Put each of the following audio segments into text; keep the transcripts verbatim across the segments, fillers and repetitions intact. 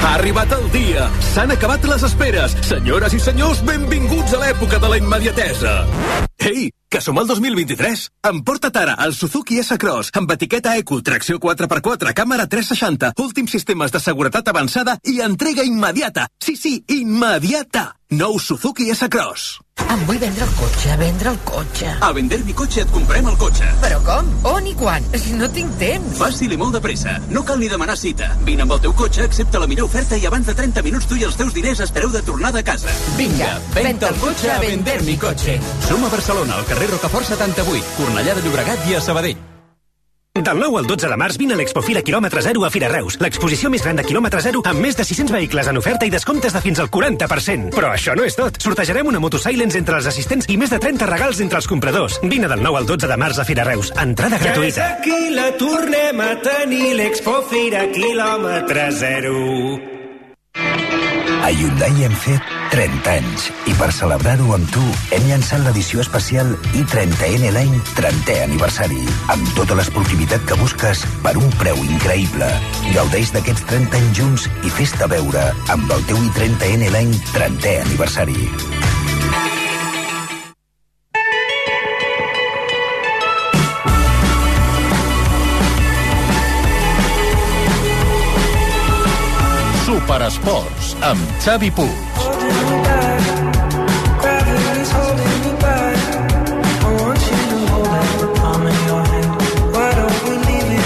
Ha arribat el dia. S'han acabat les esperes. Senyores i senyors, benvinguts a l'època de la immediatesa. Ei, que som al dos mil vint-i-tres. Emporta't ara el Suzuki S-Cross amb etiqueta Eco, tracció quatre per quatre, càmera tres seixanta, últims sistemes de seguretat avançada i entrega immediata. Sí, sí, immediata. Nou Suzuki S-Cross. Em vull vendre el cotxe, vendre el cotxe. A Vender mi cotxe et comprem el cotxe. Però com? On i quan? Si no tinc temps. Fàcil i molt de pressa. No cal ni demanar cita. Vine amb el teu cotxe, accepta la millor oferta i abans de trenta minuts tu i els teus diners espereu de tornada a casa. Vinga, venta el cotxe a Vender mi cotxe. Som a Barcelona, al carrer Rocafort setanta-vuit, Cornellà de Llobregat i a Sabadell. Del nou al dotze de març vine a l'Expofira quilòmetre zero a Fira Reus, l'exposició més gran de quilòmetre zero amb més de sis-cents vehicles en oferta i descomptes de fins al quaranta per cent. Però això no és tot. Sortejarem una Moto Silence entre els assistents i més de trenta regals entre els compradors. Vine del nou al dotze de març a Fira Reus. Entrada gratuïta. Ja és aquí, la tornem a tenir, l'Expofira quilòmetre zero. A Hyundai hem fet trenta anys i per celebrar-ho amb tu hem llançat l'edició especial i trenta N Line trentè aniversari amb tota l'esportivitat que busques per un preu increïble. Gaudeix d'aquests trenta anys junts i fes-te veure amb el teu i trenta N Line trentè aniversari. Superesports, amb Xavi Puig.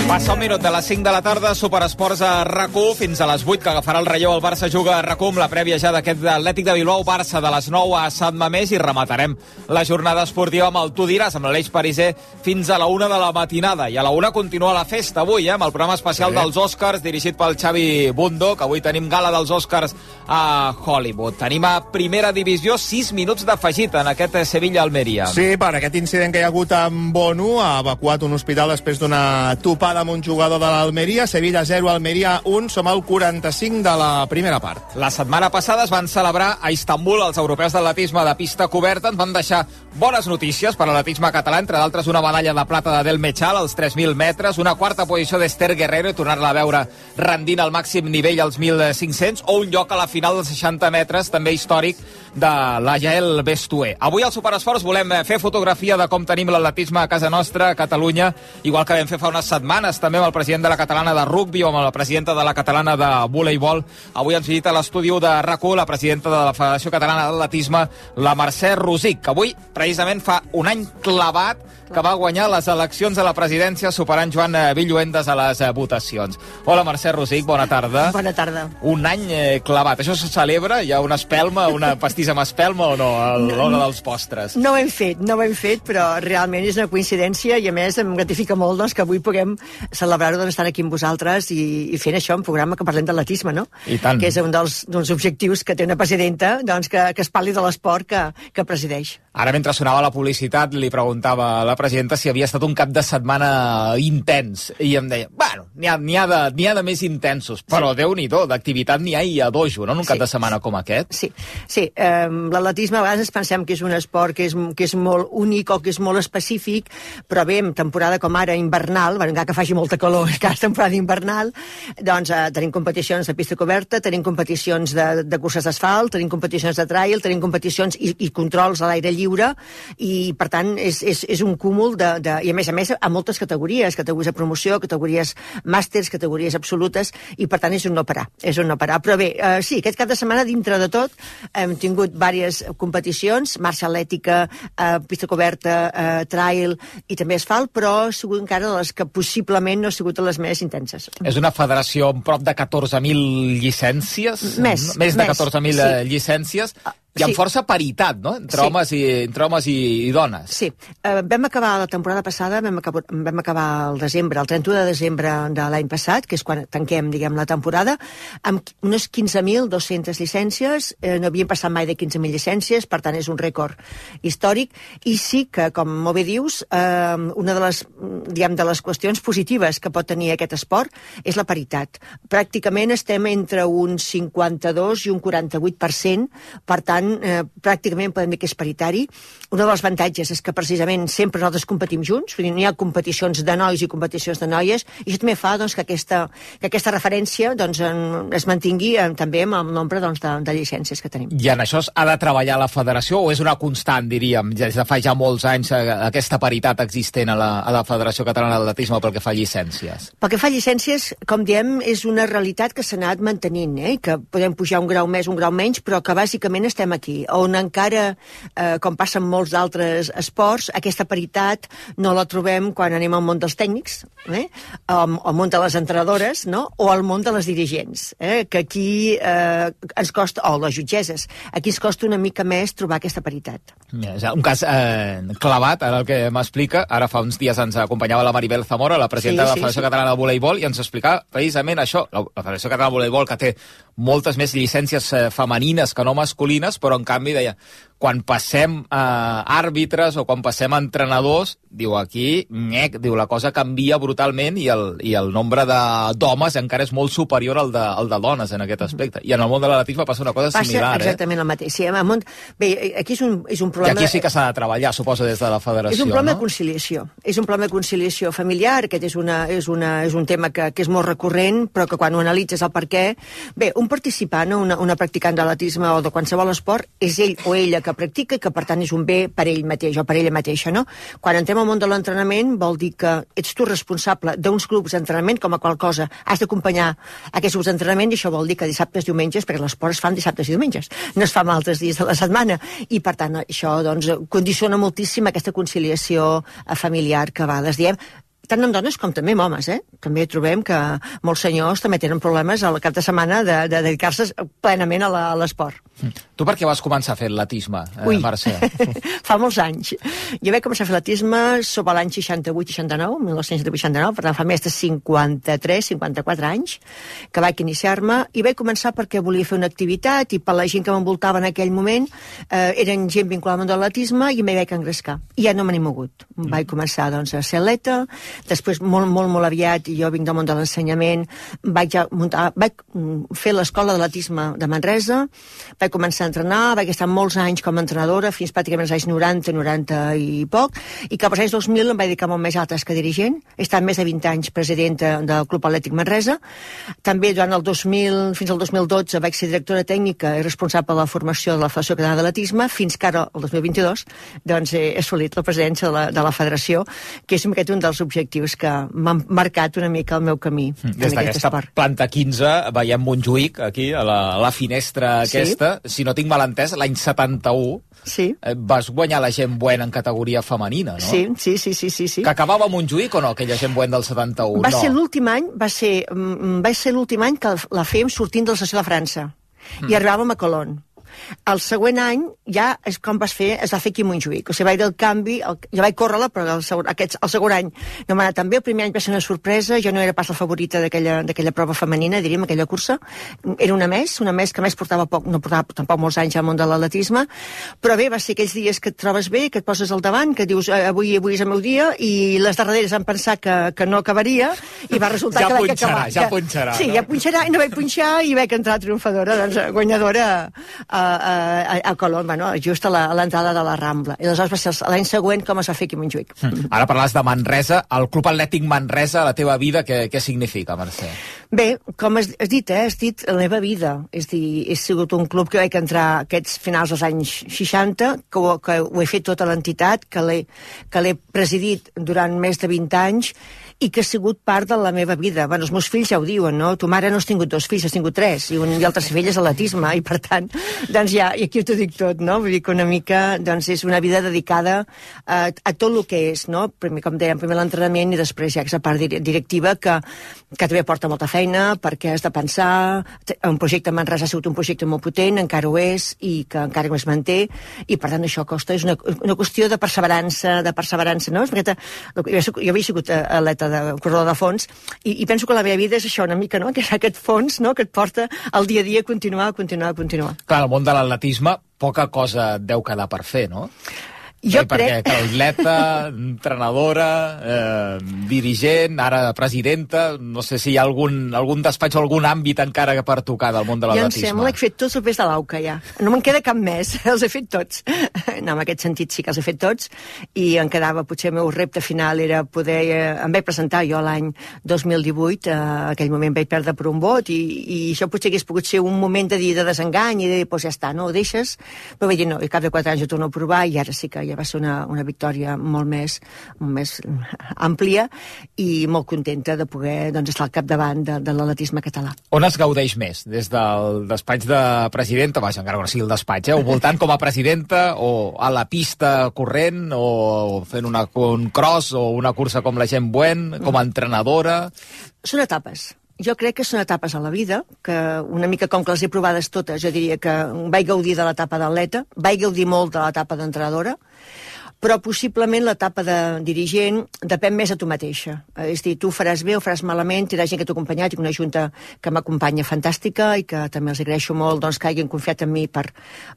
Passa un minut de les cinc de la tarda, Superesports a RAC1, fins a les vuit, que agafarà el relleu. El Barça juga a RAC1 amb la prèvia ja d'aquest Atlètic de Bilbao-Barça de les nou a Sant Mamés, i rematarem la jornada esportiva amb el Tu diràs, amb l'Aleix Pariser, fins a la una de la matinada. I a la una continua la festa avui, eh, amb el programa especial sí. dels Oscars, dirigit pel Xavi Bundó, que avui tenim gala dels Oscars a Hollywood. Tenim a primera divisió sis minuts d'afegit en aquest Sevilla-Almeria. Sí, per aquest incident que hi ha hagut amb Bono, ha evacuat un hospital després d'una topada amb un jugador de l'Almeria. Sevilla zero, Almeria un. Som al quaranta-cinc de la primera part. La setmana passada es van celebrar a Istanbul els europeus d'atletisme de pista coberta. Ens van deixar bones notícies per a l'atletisme català, entre d'altres una medalla de plata de Del Mechal als tres mil metres, una quarta posició d'Esther Guerrero i tornar-la a veure rendint al màxim nivell als mil cinc-cents, o un lloc a la final dels seixanta metres, també històric, de la Jael Bestué. Avui al Superesports volem fer fotografia de com tenim l'atletisme a casa nostra, a Catalunya, igual que vam fer fa unes setmanes també amb el president de la catalana de rugby o amb la presidenta de la catalana de voleibol. Avui ens visita a l'estudi de RAC1 la presidenta de la Federació Catalana d'Atletisme, la Mercè Rosic, que avui precisament fa un any clavat que va guanyar les eleccions a la presidència superant Joan Villuendes a les votacions. Hola, Mercè Rosic, bona tarda. Bona tarda. Un any eh, clavat. Això se celebra? Hi ha una espelma, una pastissa amb espelma o no, a l'hora dels postres? No ho hem fet, no ho hem fet, però realment és una coincidència i a més em gratifica molt doncs, que avui puguem celebrar-ho doncs, estant aquí amb vosaltres i, i fent això, un programa que parlem d'atletisme, no? I tant. Que és un dels, dels objectius que té una presidenta, doncs, que, que es parli de l'esport que, que presideix. Ara, mentre sonava la publicitat, li preguntava a la presidenta si havia estat un cap de setmana intens, i em deia, bueno, n'hi ha, n'hi ha, de, n'hi ha de més intensos, però sí. Déu-n'hi-do, d'activitat n'hi ha i a dojo, no?, en un sí. cap de setmana com aquest. Sí, sí. Eh, l'atletisme a vegades pensem que és un esport que és, que és molt únic o que és molt específic, però bé, en temporada com ara invernal, bueno, encara que faci molta calor, que és temporada invernal, doncs eh, tenim competicions de pista coberta, tenim competicions de, de curses d'asfalt, tenim competicions de trail, tenim competicions i, i controls a l'aire lliure, i per tant és, és, és un cúmul de, de, i a més a més a moltes categories, categories de promoció, categories màsters, categories absolutes, i per tant és un no parar, és un no parar. Però bé, eh, sí, aquest cap de setmana dintre de tot hem tingut diverses competicions, marxa atlètica, eh, pista coberta, eh, trail i també asfalt, però ha sigut encara de les que possiblement no ha sigut les més intenses. És una federació amb prop de catorze mil llicències? Més. Més de catorze mil sí. llicències. I amb sí. força paritat, no?, entre, sí. homes, i, entre homes i, i dones. Sí. Uh, vam acabar la temporada passada, vam acabar, vam acabar el desembre, el trenta-u de desembre de l'any passat, que és quan tanquem, diguem, la temporada, amb unes quinze mil dos-centes llicències. Eh, no havíem passat mai de quinze mil llicències, per tant és un rècord històric, i sí que, com molt bé dius, eh, una de les, diguem, de les qüestions positives que pot tenir aquest esport és la paritat. Pràcticament estem entre un cinquanta-dos i un quaranta-vuit per cent, per tant tant, eh, pràcticament podem dir que és paritari. Un dels avantatges és que precisament sempre nosaltres competim junts, vull dir, no hi ha competicions de nois i competicions de noies, i això també fa doncs, que, aquesta, que aquesta referència doncs, en, es mantingui en, també amb el nombre doncs, de, de llicències que tenim. I en això ha de treballar la federació o és una constant, diríem, des de fa ja molts anys aquesta paritat existent a la, a la Federació Catalana d'Atletisme pel que fa a llicències? Pel que fa a llicències, com diem, és una realitat que s'ha anat mantenint, eh? Que podem pujar un grau més, un grau menys, però que bàsicament estem aquí, on encara, eh, com passa en molts d'altres esports, aquesta paritat no la trobem quan anem al món dels tècnics, eh? al, al món de les entrenadores, no? O al món de les dirigents, eh? Que aquí eh, ens costa, o les jutgeses, aquí ens costa una mica més trobar aquesta paritat. Un cas eh, clavat, ara el que m'explica, ara fa uns dies ens acompanyava la Maribel Zamora, la presidenta sí, de la Federació sí, sí. Catalana de Voleibol, i ens explicava precisament això, la, la Federació Catalana de Voleibol, que té moltes més llicències eh, femenines que no masculines, però en canvi deia, quan passem a eh, àrbitres o quan passem a entrenadors, diu aquí, nyec, diu la cosa canvia brutalment i el, i el nombre d'homes encara és molt superior al de, al de dones en aquest aspecte. I en el món de l'atletisme passa una cosa passa similar. Passa exactament eh? el mateix. Sí, el món... Bé, aquí és un, és un problema... I aquí sí que s'ha de treballar, suposo, des de la federació. És un problema no? de conciliació. És un problema de conciliació familiar, aquest és, una, és, una, és un tema que, que és molt recurrent, però que quan ho analitzes el per què... Bé, un participant, una, una practicant d'atletisme o de qualsevol esport, és ell o ella que practica i que per tant és un bé per ell mateix o per ella mateixa, no? Quan entrem al món de l'entrenament vol dir que ets tu responsable d'uns grups d'entrenament com a qual cosa. Has d'acompanyar aquests grups d'entrenament i això vol dir que dissabtes, diumenges, perquè l'esport es fan dissabtes i diumenges, no es fa amb altres dies de la setmana. I per tant això doncs, condiciona moltíssim aquesta conciliació familiar que a vegades diem tant amb dones com també amb homes, eh? També trobem que molts senyors també tenen problemes al cap de setmana de, de dedicar-se plenament a l'esport. Tu per què vas començar a fer atletisme, eh, Mercè? Fa molts anys. Jo vaig començar a fer atletisme sobre l'any seixanta-vuit seixanta-nou, mil nou-cents vuitanta-nou, per tant fa més de cinquanta-tres cinquanta-quatre anys que vaig iniciar-me, i vaig començar perquè volia fer una activitat i per la gent que m'envoltava en aquell moment eh, eren gent vinculada al món de l'atletisme i m'hi vaig engrescar. I ja no me n'he mogut. Mm. Vaig començar doncs, a ser atleta. Després, molt, molt, molt aviat, jo vinc del món de l'ensenyament, vaig, muntar, vaig fer l'escola d'atletisme de Manresa, vaig començar a entrenar, vaig estar molts anys com a entrenadora, fins pràcticament als anys noranta, noranta i poc, i cap als anys dos mil em vaig dedicar molt més a altres que dirigent. He estat més de vint anys presidenta del Club Atlètic Manresa. També durant el dos mil, fins al dos mil dotze vaig ser directora tècnica i responsable de la formació de la Federació Catalana d'Atletisme, fins que ara, el dos mil vint-i-dos, doncs he assolit la presidència de la, de la federació, que és aquest un dels objectius que m'han marcat una mica el meu camí. Des d'aquesta planta quinze veiem Montjuïc aquí, a la, a la finestra aquesta. Sí. Si no tinc mal entès, l'any setanta-u sí. vas guanyar la gent buena en categoria femenina, no? Sí, sí, sí, sí, sí, sí. Que acabava a Montjuïc o no, aquella gent buena del setanta-u? Va no. ser l'últim any, va ser, va ser l'últim any que la fèiem sortint de la sessió de França. Mm. I arribàvem a Colón. El següent any ja és com vas fer, es va fer aquí a Montjuïc. O sigui, va haver el canvi, el, jo vaig córrer-la, però el segon, aquests, el segon any no m'ha anat tan bé. El primer any va ser una sorpresa, jo no era pas la favorita d'aquella prova femenina, diríem, aquella cursa. Era una més, una més que més portava poc, no portava tampoc molts anys al món de l'atletisme, però bé, va ser aquells dies que et trobes bé, que et poses al davant, que dius avui, avui és el meu dia, i les darreres van pensar que, que no acabaria, i va resultar ja que vaig punxarà, acabar. Ja punxarà, sí, no? ja punxarà, i no vaig punxar, i vaig entrar triomfadora, doncs guanyadora a, a, a, a Colón, bueno, just a l'entrada de la Rambla. I aleshores va ser l'any següent com es va fer aquí a Montjuïc. Mm. Ara parles de Manresa, el Club Atlètic Manresa, la teva vida, què, què significa, Mercè? Bé, com has, has dit, eh? Has dit la meva vida. És dir, he sigut un club que vaig entrar aquests finals dels anys seixanta, que ho, que ho he fet tota l'entitat, que l'he presidit durant més de vint anys, i que ha sigut part de la meva vida. Bueno, els meus fills ja ho diuen, no? Tu mare no has tingut dos fills, has tingut tres, i, un, i el tercer fill és atletisme, i per tant, doncs ja, i aquí t'ho dic tot, no? Vull dir que una mica, doncs, és una vida dedicada a, a tot el que és, no? Primer, com dèiem, primer l'entrenament i després ja aquesta part directiva que, que també porta molta feina, perquè has de pensar, un projecte en Manresa ha sigut un projecte molt potent, encara ho és, i que encara es manté, i per tant això costa, és una, una qüestió de perseverança, de perseverança, no? Perquè jo havia sigut atleta de corredor de fons, i, i penso que la meva vida és això una mica, no? Que és aquest fons, no? Que et porta al dia a dia a continuar, a continuar, a continuar. Clar, el món de l'atletisme poca cosa deu quedar per fer, no? Jo sí, crec... Perquè atleta, entrenadora, eh, dirigent, ara presidenta, no sé si hi ha algun, algun despatx o algun àmbit encara per tocar del món de l'atletisme. Jo em sembla que he fet tots els pes de l'Auca, ja. No me'n queda cap més, els he fet tots. No, en aquest sentit sí que els he fet tots, i em quedava, potser el meu repte final era poder... Eh, em vaig presentar jo l'any dos mil divuit, eh, aquell moment vaig perdre per un vot, i, i això potser hagués pogut ser un moment de dir de desengany, i de dir, doncs ja està, no ho deixes, però vaig dir, no, i cap de quatre anys ho torno a provar, i ara sí que ja va ser una, una victòria molt més, molt més àmplia i molt contenta de poder doncs, estar al capdavant de, de l'atletisme català. On es gaudeix més? Des del despatx de presidenta, vaja, encara que no sigui el despatx, eh? O voltant com a presidenta, o a la pista corrent, o fent una, un cross, o una cursa com la Gent Buen, com a entrenadora? Són etapes. Jo crec que són etapes a la vida, que una mica com que les he provades totes, jo diria que vaig gaudir de l'etapa d'atleta, vaig gaudir molt de l'etapa d'entrenadora, però possiblement l'etapa de dirigent depèn més a tu mateixa. És a dir, tu faràs bé o faràs malament, tindràs gent que t'ha acompanyat, i una junta que m'acompanya fantàstica i que també els agraeixo molt doncs, que hagin confiat en mi per,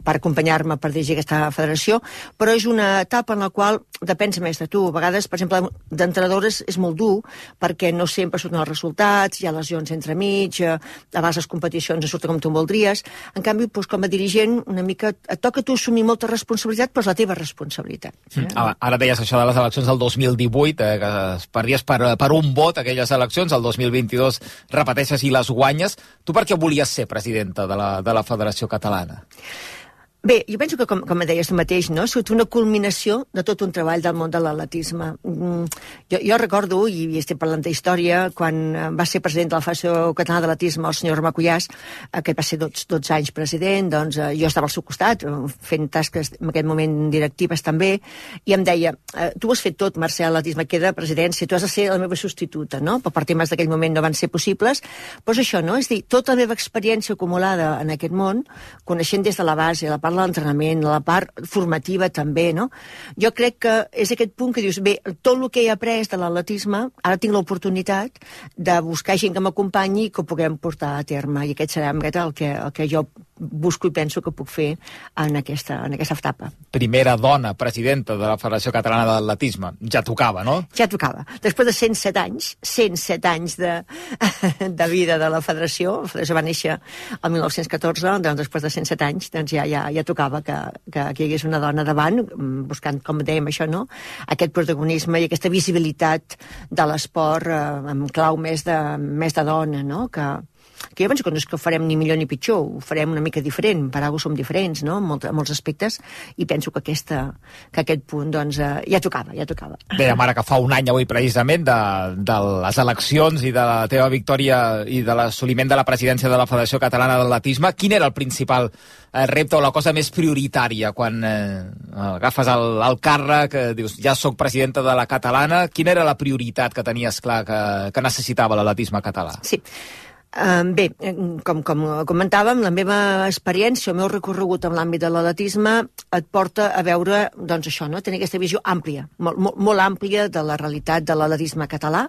per acompanyar-me per dirigir aquesta federació, però és una etapa en la qual depens més de tu. A vegades, per exemple, d'entrenadores és molt dur perquè no sempre surten els resultats, hi ha lesions entremig, a vegades les competicions no surten com tu voldries. En canvi, doncs, com a dirigent, una mica et toca a tu assumir molta responsabilitat, però és la teva responsabilitat. Mm. Ara deies això de les eleccions del dos mil divuit, eh, que es perdies per, per un vot aquelles eleccions, el dos mil vint-i-dos repeteixes i les guanyes. Tu per què volies ser presidenta de la, de la Federació Catalana? Bé, jo penso que, com, com deies tu mateix, no? Ha sigut una culminació de tot un treball del món de l'atletisme. Mm, jo, jo recordo, i estic parlant d'història, quan va ser president de la Federació Catalana d'Atletisme el senyor Romà Cuyàs, que va ser dotze anys president, doncs jo estava al seu costat, fent tasques en aquest moment directives també, i em deia, tu ho has fet tot, Mercè, l'atletisme queda presidència, tu has de ser la meva substituta, no? Però per temes d'aquell moment no van ser possibles. Però és això, no? És dir, tota la meva experiència acumulada en aquest món, coneixent des de la base, la part de l'entrenament, la part formativa també, no? Jo crec que és aquest punt que dius, bé, tot el que he après de l'atletisme, ara tinc l'oportunitat de buscar gent que m'acompanyi i que ho puguem portar a terme, i aquest serà el que, el que jo busco i penso que puc fer en aquesta, en aquesta etapa. Primera dona presidenta de la Federació Catalana d'Atletisme. Ja tocava, no? Ja tocava. Després de cent set anys, cent set anys de, de vida de la Federació, la Federació va néixer el mil nou-cents catorze, doncs després de cent set anys doncs ja, ja, ja tocava que, que, que hi hagués una dona davant, buscant, com dèiem això, no? Aquest protagonisme i aquesta visibilitat de l'esport eh, amb clau més de, més de dona, no? Que, que jo penso que no és que ho farem ni millor ni pitjor, ho farem una mica diferent, per alguna som diferents, no?, en, molt, en molts aspectes, i penso que, aquesta, que aquest punt, doncs, eh, ja tocava, ja tocava. Bé, ara que fa un any avui, precisament, de, de les eleccions i de la teva victòria i de l'assoliment de la presidència de la Federació Catalana d'Atletisme, quin era el principal eh, repte o la cosa més prioritària quan eh, agafes el, el càrrec, eh, dius, ja sóc presidenta de la catalana, quina era la prioritat que tenies clar que, que necessitava l'atletisme català? Sí. Uh, bé, com, com comentàvem, la meva experiència, el meu recorregut en l'àmbit de l'atletisme et porta a veure, doncs això, no? Tenir aquesta visió àmplia, molt, molt, molt àmplia de la realitat de l'atletisme català,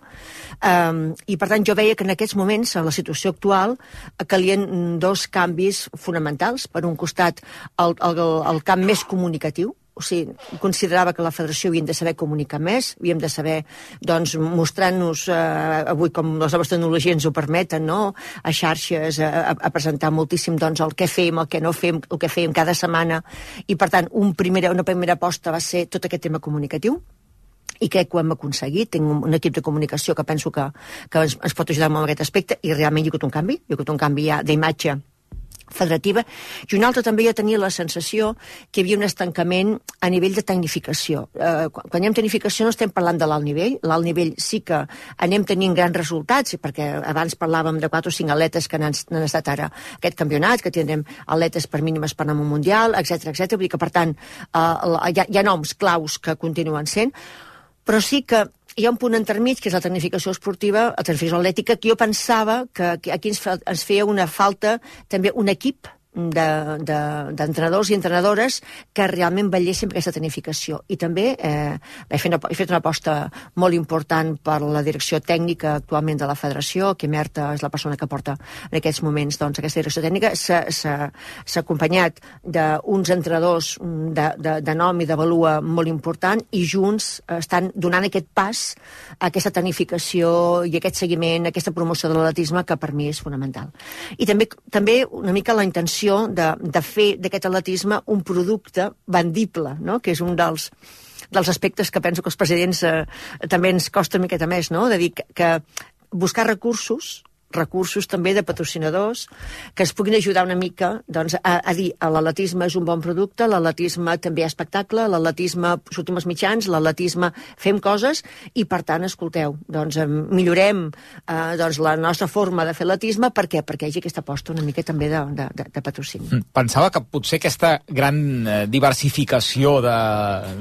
um, i per tant jo veia que en aquests moments, en la situació actual, calien dos canvis fonamentals. Per un costat, el, el, el camp més comunicatiu, o sigui, considerava que la federació havíem de saber comunicar més, havíem de saber, doncs, mostrant-nos, eh, avui com les noves tecnologies ens ho permeten, no?, a xarxes, a, a presentar moltíssim, doncs, el que fem, el que no fem, el que fem cada setmana, i per tant, un primera, una primera aposta va ser tot aquest tema comunicatiu, i crec que ho hem aconseguit. Tinc un, un equip de comunicació que penso que, que ens, ens pot ajudar molt en aquest aspecte, i realment hi ha hagut un canvi, hi ha hagut un canvi ja d'imatge federativa, i un altre també ja tenia la sensació que hi havia un estancament a nivell de tecnificació. Eh, quan, quan hi ha tecnificació no estem parlant de l'alt nivell, l'alt nivell sí que anem tenint grans resultats, perquè abans parlàvem de quatre o cinc atletes que han, han estat ara aquest campionat, que tindrem atletes per mínimes per anar al Mundial, etcètera, etcètera. Vull dir que, per tant, eh, hi, ha, hi ha noms claus que continuen sent, però sí que hi ha un punt intermig, que és la tecnificació esportiva, la tecnificació atlètica, que jo pensava que aquí ens, fe, ens feia una falta també un equip d'entrenadors de, de, i entrenadores que realment vetllessin per aquesta tecnificació. I també eh, he, fet una, he fet una aposta molt important per la direcció tècnica actualment de la federació, que Merta és la persona que porta en aquests moments doncs, aquesta direcció tècnica. S'ha acompanyat d'uns entrenadors de, de, de nom i de valua molt important i junts estan donant aquest pas a aquesta tecnificació i aquest seguiment, aquesta promoció de l'atletisme que per mi és fonamental. I també, també una mica la intenció De, de fer d'aquest atletisme un producte vendible, no? Que és un dels, dels aspectes que penso que els presidents eh, també ens costa una miqueta més, no? De dir que, que buscar recursos recursos també de patrocinadors que ens puguin ajudar una mica doncs, a, a dir l'atletisme és un bon producte, l'atletisme també hi ha espectacle, l'atletisme sortim als mitjans, l'atletisme fem coses i per tant, escolteu, doncs millorem eh, doncs, la nostra forma de fer atletisme. Per què? Perquè hi hagi aquesta aposta una mica també de, de, de, de patrocini. Pensava que potser aquesta gran diversificació de,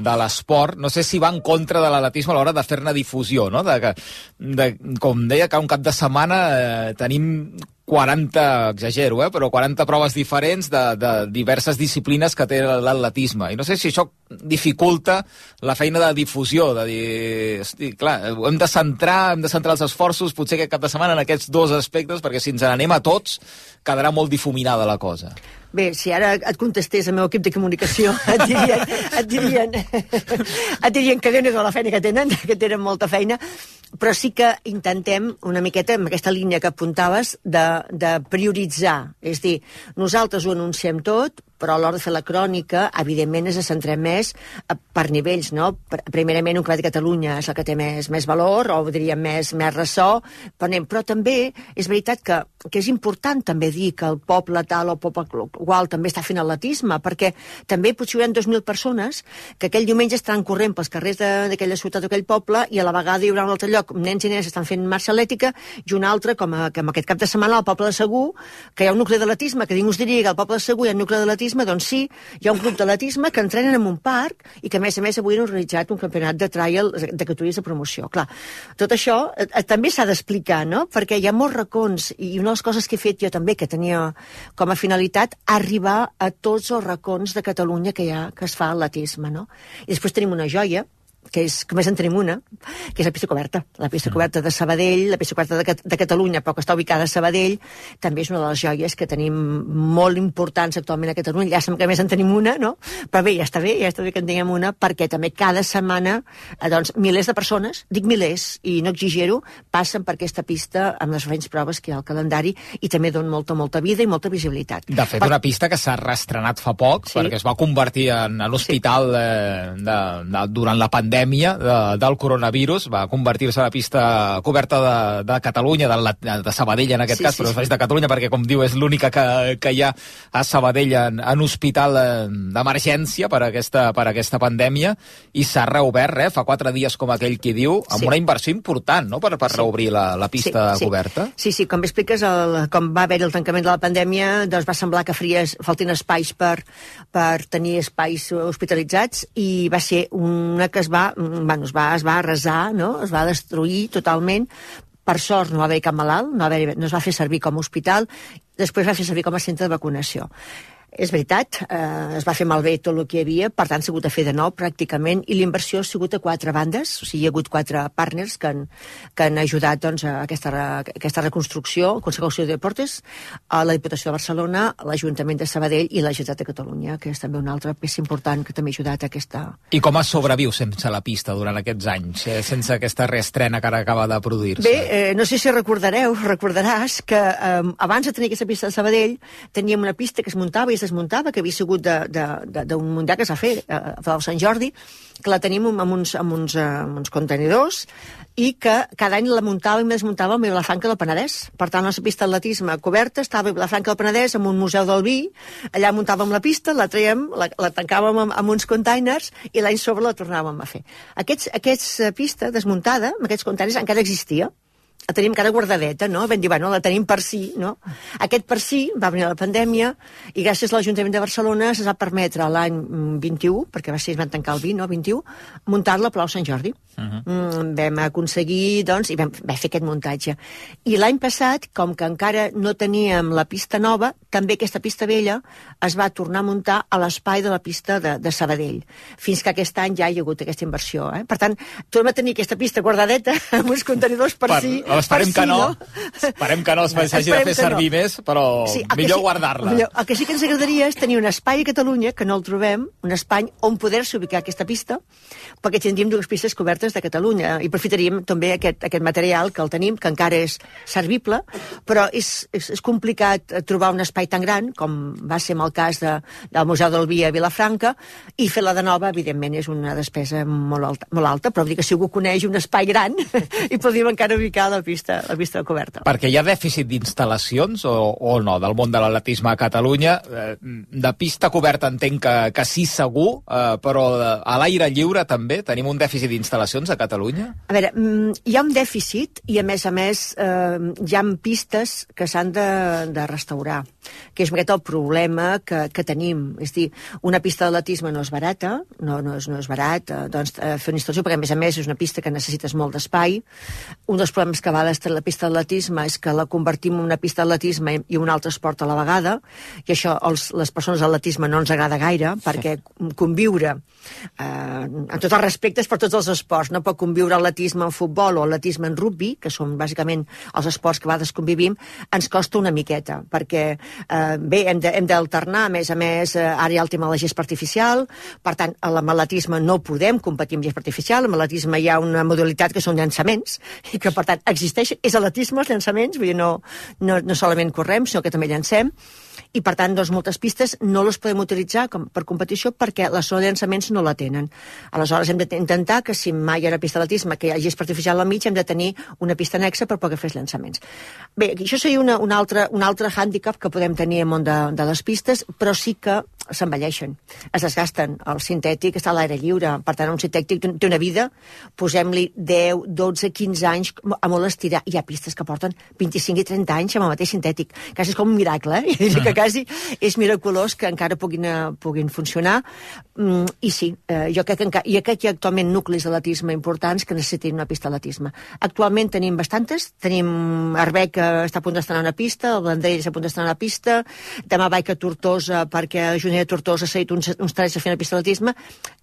de l'esport, no sé si va en contra de l'atletisme a l'hora de fer-ne difusió, no? De, de, com deia, que un cap de setmana eh, tenim quaranta, exagero, eh, però quaranta proves diferents de, de diverses disciplines que té l'atletisme. I no sé si això dificulta la feina de difusió, de dir, hosti, clar, hem de centrar, hem de centrar els esforços potser aquest cap de setmana en aquests dos aspectes, perquè si ens n'anem a tots quedarà molt difuminada la cosa. Bé, si ara et contestés el meu equip de comunicació, et dirien, et dirien, et dirien que Déu-n'hi-do la feina que tenen, que tenen molta feina, però sí que intentem una miqueta, amb aquesta línia que apuntaves, de, de prioritzar. És dir, nosaltres ho anunciem tot, però a l'hora de fer la crònica, evidentment, ens centrem més per nivells, no? Primerament, un Club de Catalunya és el que té més, més valor, o diríem més, més ressò, però també és veritat que, que és important també dir que el poble tal o el poble qual també està fent atletisme, perquè també potser hi haurà dos mil persones que aquell diumenge estaran corrent pels carrers d'aquella ciutat o aquell poble i a la vegada hi haurà un altre lloc, nens i nenes estan fent marxa atlètica i un altre, com a, que en aquest cap de setmana al poble de Segur, que hi ha un nucli d'atletisme, que ningú us diria que al poble de Segur hi ha un nucli d'atletisme, doncs sí, hi ha un grup d'atletisme que entrenen en un parc i que a més a més avui han organitzat un campionat de trial de categories de promoció. Clar, tot això eh, també s'ha d'explicar, no? Perquè hi ha molts racons i una de les coses que he fet jo també, que tenia com a finalitat arribar a tots els racons de Catalunya que hi ha, que es fa atletisme, no? I després tenim una joia, que és, com més en tenim una, que és la pista coberta. La pista coberta de Sabadell, la pista coberta de, de Catalunya, però que està ubicada a Sabadell, també és una de les joies que tenim molt importants actualment a Catalunya. Ja sabem que més en tenim una, no? Però bé, ja està bé, ja està bé que en tinguem una, perquè també cada setmana, eh, doncs, milers de persones, dic milers, i no exagero, passen per aquesta pista amb les diferents proves que hi ha al calendari i també donen molta, molta vida i molta visibilitat. De fet, per... una pista que s'ha reestrenat fa poc, sí, perquè es va convertir en, en l'hospital sí. de, de, de, durant la pandèmia De, del coronavirus, va convertir-se a la pista coberta de, de Catalunya, de, de Sabadell en aquest sí, cas, sí, però sí. És de Catalunya perquè, com diu, és l'única que, que hi ha a Sabadell en, en hospital d'emergència per aquesta, per aquesta pandèmia, i s'ha reobert, eh, fa quatre dies, com aquell qui diu, amb sí. una inversió important, no?, per, per sí. reobrir la, la pista sí, sí. coberta. Sí, sí, com expliques, el, com va haver el tancament de la pandèmia, doncs va semblar que faries, faltin espais per, per tenir espais hospitalitzats, i va ser una que es va Bueno, es va, es va arrasar, no? Es va destruir totalment. Per sort no va haver cap malalt, no, va haver, no es va fer servir com a hospital, després va fer servir com a centre de vacunació. És veritat, eh, es va fer malbé tot el que hi havia, per tant s'ha hagut de fer de nou pràcticament, i l'inversió ha sigut a quatre bandes, o sigui, hi ha hagut quatre partners que han, que han ajudat doncs, a aquesta, a aquesta reconstrucció, el Consell de Deportes, a la Diputació de Barcelona, l'Ajuntament de Sabadell i la Generalitat de Catalunya, que és també una altra peça important que també ha ajudat a aquesta... I com es sobreviu sense la pista durant aquests anys, eh, sense aquesta reestrena que ara acaba de produir-se? Bé, eh, no sé si recordareu, recordaràs que eh, abans de tenir aquesta pista de Sabadell teníem una pista que es muntava i es desmuntava, que havia sigut d'un mundial que s'ha fet a Palau Sant Jordi, que la tenim amb uns, amb uns, amb uns contenidors, i que cada any la muntàvem i desmuntàvem a Vilafranca del Penedès. Per tant, la pista d'atletisme coberta estava a Vilafranca del Penedès amb un museu del vi, allà muntàvem la pista, la traiem, la, la tancàvem amb, amb uns containers i l'any sobre la tornàvem a fer. Aquests, aquesta pista desmuntada, amb aquests containers, encara existia. la tenim encara guardadeta, no? Vam dir, bueno, la tenim per si, no? Aquest per si va venir la pandèmia i gràcies a l'Ajuntament de Barcelona es va permetre l'any vint-i-u, perquè va ser, es van tancar el vint, no? vint-i-u, muntar-la a Palau Sant Jordi. Uh-huh. mm, vam aconseguir, doncs, i vam, vam fer aquest muntatge. I l'any passat, com que encara no teníem la pista nova, també aquesta pista vella es va tornar a muntar a l'espai de la pista de, de Sabadell. Fins que aquest any ja hi ha hagut aquesta inversió. Eh? Per tant, tornem a tenir aquesta pista guardadeta amb uns contenidors per, per si... Esperem per que si, no. no. Esperem que no s'hagi de fer servir no. més, però sí, millor sí, guardar-la. Millor. El que sí que ens agradaria és tenir un espai a Catalunya, que no el trobem, un espai on poder-se ubicar aquesta pista, perquè tindríem dues pistes cobertes de Catalunya i aprofitaríem també aquest, aquest material que el tenim, que encara és servible, però és, és, és complicat trobar un espai tan gran, com va ser en el cas de, del Museu del Vi a Vilafranca, i fer-la de nova, evidentment, és una despesa molt alta, molt alta però vull dir que si algú coneix un espai gran i podríem encara ubicar la pista, la pista coberta. Perquè hi ha dèficit d'instal·lacions o, o no, del món de l'atletisme a Catalunya? De pista coberta entenc que, que sí segur, eh, però a l'aire lliure també tenim un dèficit d'instal·lacions a Catalunya? A veure, hi ha un dèficit i a més a més eh, hi ha pistes que s'han de, de restaurar, que és aquest el problema que, que tenim. És dir, una pista d'atletisme no és barata, no, no, és, no és barat, eh, doncs, eh, fer una instal·lació, perquè a més a més és una pista que necessites molt d'espai. Un dels problemes que va d'estar la pista d'atletisme és que la convertim en una pista d'atletisme i un altre esport a la vegada, i això els, les persones d'atletisme no ens agrada gaire, perquè conviure eh, en tots els respectes per tots els esports, no pot conviure atletisme en futbol o atletisme en rugby, que són bàsicament els esports que a vegades convivim, ens costa una miqueta, perquè eh, bé, hem, de, hem d'alternar, a més a més, eh, ara hi ha el tema de la gespa artificial, per tant, amb l'atletisme no podem competir amb gespa artificial, amb l'atletisme hi ha una modalitat que són llançaments, i que per tant existeix, és atletisme els llançaments, vull dir, no, no, no solament correm, sinó que també llancem, i per tant, doncs, moltes pistes no les podem utilitzar com, per competició perquè la zona de llançaments no la tenen. Aleshores hem d'intentar que si mai hi ha una pista d'atletisme que hi hagi gespa artificial al mig, hem de tenir una pista anexa per poder fer els llançaments. Bé, això seria una, una altra, un altre hàndicap que podem tenir al món de, de les pistes, però sí que s'envelleixen, es desgasten. El sintètic està a l'aire lliure, per tant, un sintètic té una vida, posem-li deu, dotze, quinze anys a molt estirar. Hi ha pistes que porten vint-i-cinc i trenta anys amb el mateix sintètic. Quasi és com un miracle, eh? I que quasi és miraculós que encara puguin, puguin funcionar. Mm, I sí, eh, jo crec que, encara, jo crec que hi ha actualment nuclis d'atletisme importants que necessitin una pista d'atletisme. Actualment tenim bastantes. Tenim Arbeca, que està a punt d'estrenar una pista, el Vendrell està a punt d'estrenar una pista, demà vaig a Tortosa perquè a Juneda de Tortosa s'ha dit uns, uns talls a fer una pista d'atletisme.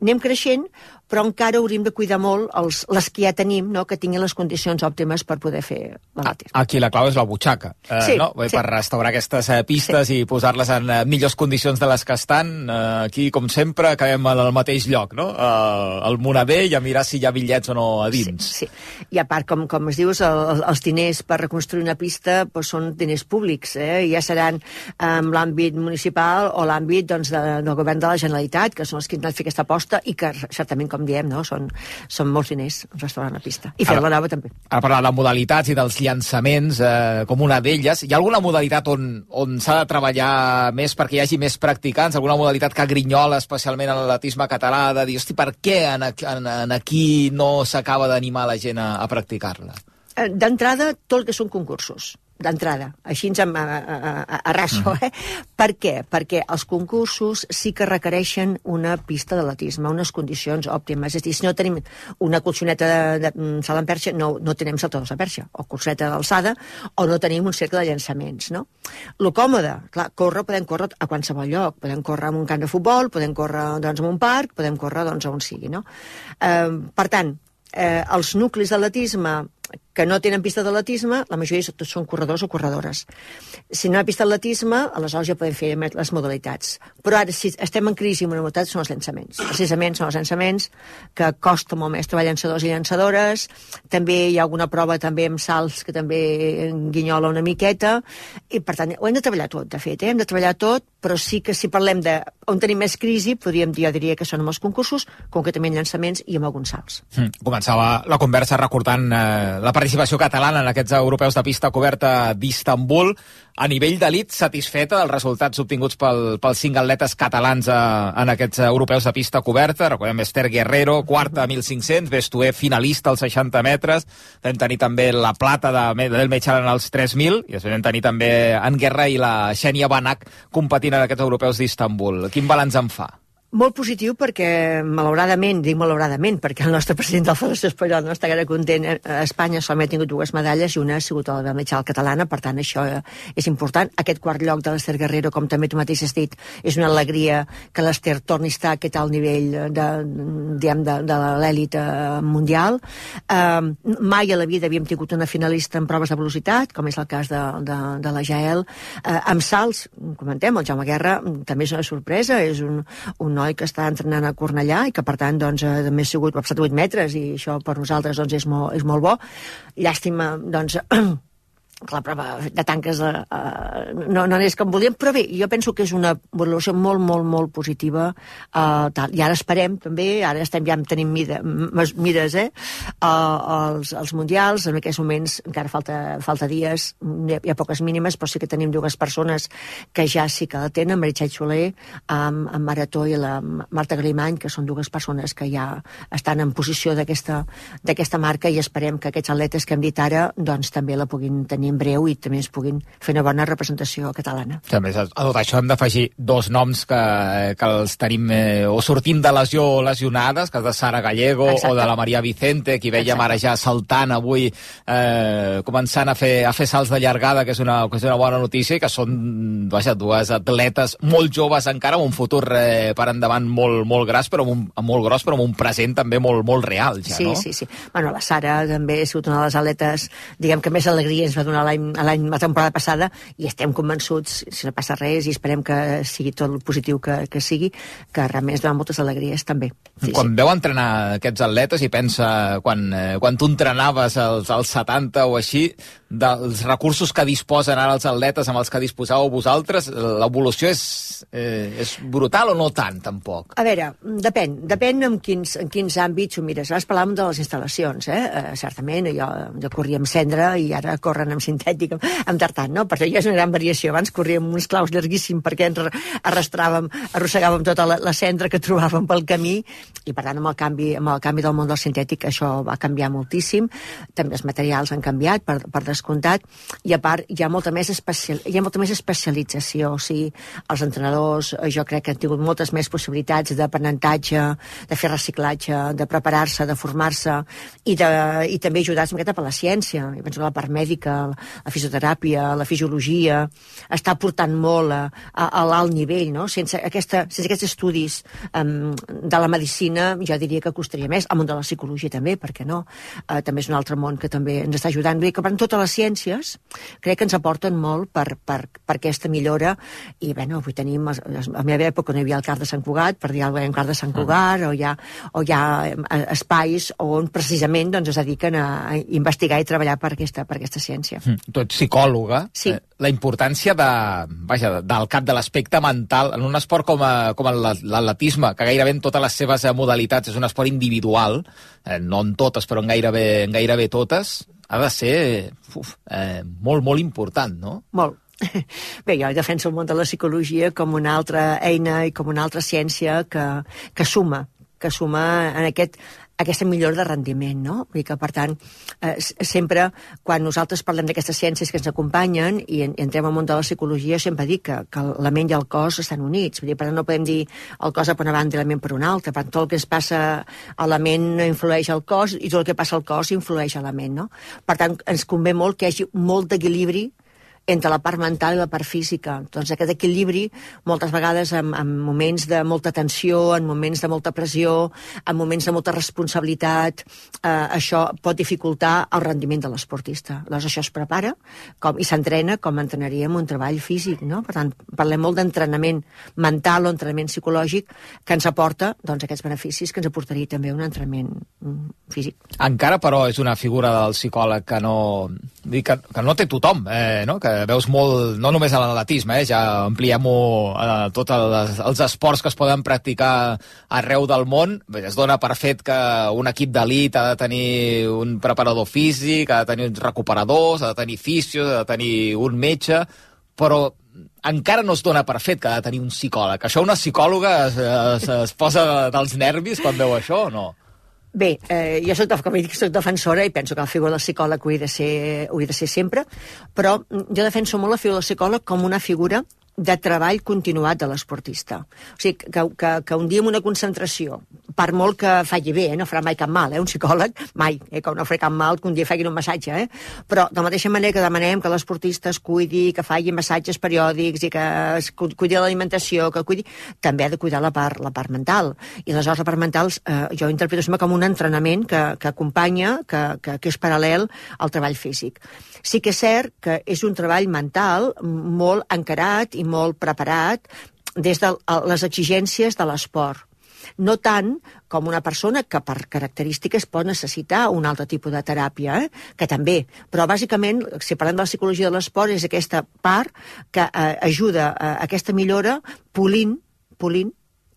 Anem creixent, però encara hauríem de cuidar molt els, les que ja tenim, no? Que tinguin les condicions òptimes per poder fer l'atletisme. Aquí la clau és la butxaca, eh, sí, no? Sí. Per restaurar aquestes eh, pistes sí. i posar-les en eh, millors condicions de les que estan. Eh, aquí, com sempre, acabem al mateix lloc, no? Eh, al Monedell, a mirar si hi ha bitllets o no a dins. Sí, sí. I a part, com, com es dius, el, els diners per reconstruir una pista doncs, són diners públics, eh? I ja seran en l'àmbit municipal o l'àmbit doncs, de, del govern de la Generalitat, que són els que han de fer aquesta aposta i que, certament, com diem, no? són, són molts diners restaurant la pista. I fer-la nova, també. Ara parlar de modalitats i dels llançaments, eh, com una d'elles, hi ha alguna modalitat on, on s'ha de treballar més perquè hi hagi més practicants? Alguna modalitat que grinyola especialment en l'atletisme català, de dir, hosti, per què en, en, en aquí no s'acaba d'animar la gent a, a practicar-la? D'entrada, tot el que són concursos. D'entrada, així ens a, a, a, a raso, eh? Per què? Perquè els concursos sí que requereixen una pista d'atletisme, unes condicions òptimes. És a dir, si no tenim una colxoneta de, de salt en perxa, no, no tenim saltadors de perxa, o colxoneta d'alçada, o no tenim un cercle de llançaments, no? Lo còmode, clar, córrer, podem córrer a qualsevol lloc. Podem córrer en un camp de futbol, podem córrer doncs, en un parc, podem córrer doncs, on sigui, no? Eh, per tant, eh, els nuclis d'atletisme que no tenen pista d'atletisme, la majoria tots són corredors o corredores. Si no hi ha pista d'atletisme, aleshores ja podem fer les modalitats. Però ara, si estem en crisi amb una modalitat, són els llançaments. Precisament són els llançaments que costa molt més trobar llançadors i llançadores. També hi ha alguna prova també amb salts que també guinyola una miqueta. I, per tant, ho hem de treballar tot, de fet. Eh? Hem de treballar tot, però sí que si parlem de on tenim més crisi, podríem dir, jo diria que són amb els concursos, concretament llançaments i amb alguns salts. Mm. Començava la conversa recordant eh, la participació participació catalana en aquests europeus de pista coberta d'Istanbul. A nivell d'elit, satisfeta dels resultats obtinguts pel, pels cinc atletes catalans a, en aquests europeus de pista coberta. Recordem Esther Guerrero, quarta a mil cinc-cents, Bestué finalista als seixanta metres, vam tenir també la plata de, del Mechal en els tres mil, i després vam tenir també en Guerra i la Xènia Banach competint en aquests europeus d'Istanbul. Quin balanç en fa? Molt positiu perquè, malauradament, dic malauradament, perquè el nostre president de la Federació Espanyola no està gaire content. A Espanya solament ha tingut dues medalles i una ha sigut la de Mechal catalana, per tant això és important. Aquest quart lloc de l'Esther Guerrero, com també tu mateix has dit, és una alegria que l'Esther torni a estar a aquest alt nivell de, diguem, de, de l'èlit mundial. Uh, mai a la vida havíem tingut una finalista en proves de velocitat, com és el cas de, de, de la Jael. Uh, amb salts, comentem, el Jaume Guerra també és una sorpresa, és un, un noi que està entrenant a Cornellà i que, per tant, doncs, també ha sigut, ha passat vuit metres i això per nosaltres doncs, és, molt, és molt bo. Llàstima, doncs, que la prova de tanques uh, no, no és com volíem, però bé, jo penso que és una evolució molt, molt, molt positiva. Uh, tal. I ara esperem, també, ara estem ja tenim mida, mires, eh, uh, els, els mundials, en aquests moments encara falta, falta dies, hi ha, hi ha poques mínimes, però sí que tenim dues persones que ja sí que la tenen, Meritxell Soler, amb, amb Marató i la Marta Grimany, que són dues persones que ja estan en posició d'aquesta d'aquesta marca, i esperem que aquests atletes que hem dit ara, doncs també la puguin tenir en breu i també es puguin fer una bona representació catalana. També a tot això hem d'afegir dos noms que, que els tenim eh, o sortint de lesió lesionades, que és de Sara Gallego. Exacte. O de la Maria Vicente, que veiem ara ja saltant avui, eh, començant a fer, a fer salts de llargada, que és una, que és una bona notícia, i que són vaja, dues atletes molt joves encara, amb un futur eh, per endavant molt, molt gras, però amb un, molt gros, però amb un present també molt, molt real, ja, sí, no? Sí, sí, sí. Bueno, la Sara també ha sigut una de les atletes, diguem que més alegria ens va donar l'any, l'any, la temporada passada, i estem convençuts, si no passa res, i esperem que sigui tot el positiu que, que sigui, que realment es donen moltes alegries també. Sí, quan sí. veu entrenar aquests atletes i pensa, quan, eh, quan tu entrenaves als, als setanta o així, dels recursos que disposen ara els atletes amb els que disposàveu vosaltres, l'evolució és, eh, és brutal o no tant, tampoc? A veure, depèn, depèn en quins, en quins àmbits ho mires. Abans parlàvem de les instal·lacions, eh? Uh, certament, jo, jo corria amb cendra i ara corren amb sintètic, amb, amb tartan, no? Per això ja és una gran variació. Abans corríem uns claus llarguíssims perquè ens arrastràvem, arrossegàvem tota la, la cendra que trobàvem pel camí, i per tant amb el canvi, amb el canvi del món del sintètic això va canviar moltíssim. També els materials han canviat, per, per descomptat, i a part hi ha molta més, especial, hi ha molta més especialització. O sigui, els entrenadors jo crec que han tingut moltes més possibilitats d'aprenentatge, de fer reciclatge, de preparar-se, de formar-se, i, de, i també ajudar-se una miqueta per la ciència. Jo penso que la part mèdica, la fisioteràpia, la fisiologia, està portant molt a, a, a l'alt nivell, no? Sense, aquesta, sense aquests estudis um, de la medicina, jo diria que costaria més. El món de la psicologia també, per què no? Uh, també és un altre món que també ens està ajudant. Vull dir que per totes les ciències crec que ens aporten molt per, per, per aquesta millora, i bueno, avui tenim, a la meva època no hi havia el Car de Sant Cugat, per dir alguna cosa, el Car de Sant Cugat, o hi ha, o hi ha espais on precisament doncs, es dediquen a, a investigar i treballar per aquesta, per aquesta ciència. Mm. Tu ets psicòloga. Sí. Eh, la importància de, vaja, del cap de l'aspecte mental en un esport com, a, com l'atletisme, que gairebé en totes les seves modalitats és un esport individual, eh, no en totes, però en gairebé, en gairebé totes, ha de ser uf, eh, molt, molt important, no? Molt. Bé, jo defenso el món de la psicologia com una altra eina i com una altra ciència que, que suma, que suma en aquest, aquesta millora de rendiment, no? Vull dir que, per tant, eh, sempre, quan nosaltres parlem d'aquestes ciències que ens acompanyen i, en, i entrem al món de la psicologia, sempre dic que, que la ment i el cos estan units. Vull dir, per tant, no podem dir el cos per una banda i la ment per una altra. Per tant, tot el que es passa a la ment influeix al cos i tot el que passa al cos influeix a la ment, no? Per tant, ens convé molt que hi hagi molt d'equilibri entre la part mental i la part física. Doncs aquest equilibri, moltes vegades en, en moments de molta tensió, en moments de molta pressió, en moments de molta responsabilitat, eh, això pot dificultar el rendiment de l'esportista. Llavors això es prepara com, i s'entrena com entrenaríem un treball físic, no? Per tant, parlem molt d'entrenament mental o entrenament psicològic que ens aporta doncs, aquests beneficis que ens aportaria també un entrenament físic. Encara, però, és una figura del psicòleg que no, que, que no té tothom, eh, no? Que que veus molt, no només a l'atletisme, eh, ja ampliem-ho a tots els, els esports que es poden practicar arreu del món. Es dona per fet que un equip d'elit ha de tenir un preparador físic, ha de tenir uns recuperadors, ha de tenir fisios, ha de tenir un metge, però encara no es dona per fet que ha de tenir un psicòleg. Això una psicòloga es, es, es posa dels nervis quan veu això o no? Bé, eh, jo soc, com he dit, soc defensora i penso que la figura del psicòleg ho he de ser, ho he de ser sempre, però jo defenso molt la figura del psicòleg com una figura de treball continuat de l'esportista. O sigui, que, que, que un dia amb una concentració, per molt que faci bé, eh, no farà mai cap mal, eh, un psicòleg, mai, eh, que no farà cap mal que un dia facin un massatge, eh? Però de la mateixa manera que demanem que l'esportista es cuidi, que faci massatges periòdics i que es cuidi l'alimentació, que cuidi, també ha de cuidar la part, la part mental. I aleshores la part mental eh, jo interpreto sempre com un entrenament que, que acompanya, que, que, que és paral·lel al treball físic. Sí que és cert que és un treball mental molt encarat i molt preparat des de les exigències de l'esport. No tant com una persona que per característiques pot necessitar un altre tipus de teràpia, eh? Que també, però bàsicament, si parlem de la psicologia de l'esport, és aquesta part que eh, ajuda a aquesta millora polint, polint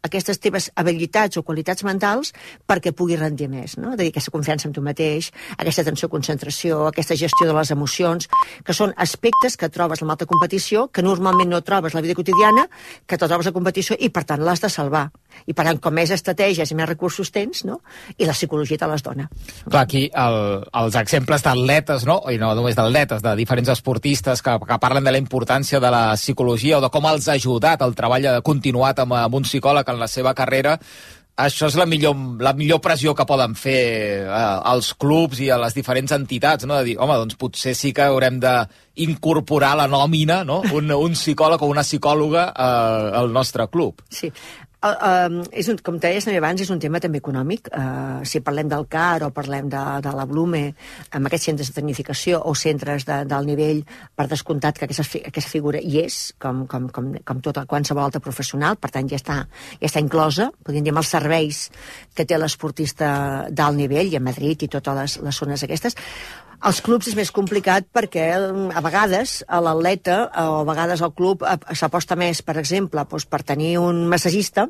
aquestes teves habilitats o qualitats mentals perquè puguis rendir més, no? És a dir, aquesta confiança en tu mateix, aquesta atenció, concentració, aquesta gestió de les emocions, que són aspectes que trobes en l'alta competició, que normalment no trobes a la vida quotidiana, que te trobes a competició i, per tant, l'has de salvar. I, per tant, com més estratègies i més recursos tens, no? I la psicologia te les dona. Clar, aquí el, els exemples d'atletes, no? I no només d'atletes, de diferents esportistes que, que parlen de la importància de la psicologia o de com els ha ajudat el treball continuat amb, amb un psicòleg en la seva carrera, això és la millor, la millor pressió que poden fer eh, als clubs i a les diferents entitats, no? De dir, home, doncs potser sí que haurem d'incorporar la nòmina, no? Un, un psicòleg o una psicòloga eh, al nostre club. Sí. Uh, uh, és un, com deies també abans, és un tema també econòmic. Uh, si parlem del C A R o parlem de, de la Blume, amb aquests centres de tecnificació o centres de, del nivell, per descomptat que aquesta, aquesta figura hi és, com, com, com, com tota qualsevol altra professional, per tant ja està, ja està inclosa, podríem dir, amb els serveis que té l'esportista d'alt nivell, i a Madrid i totes les, les zones aquestes. Als clubs és més complicat perquè a vegades a l'atleta o a vegades al club s'aposta més, per exemple, doncs per tenir un massagista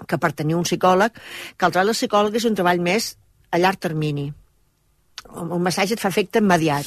que per tenir un psicòleg, que el treball del psicòleg és un treball més a llarg termini. Un massatge et fa efecte immediat.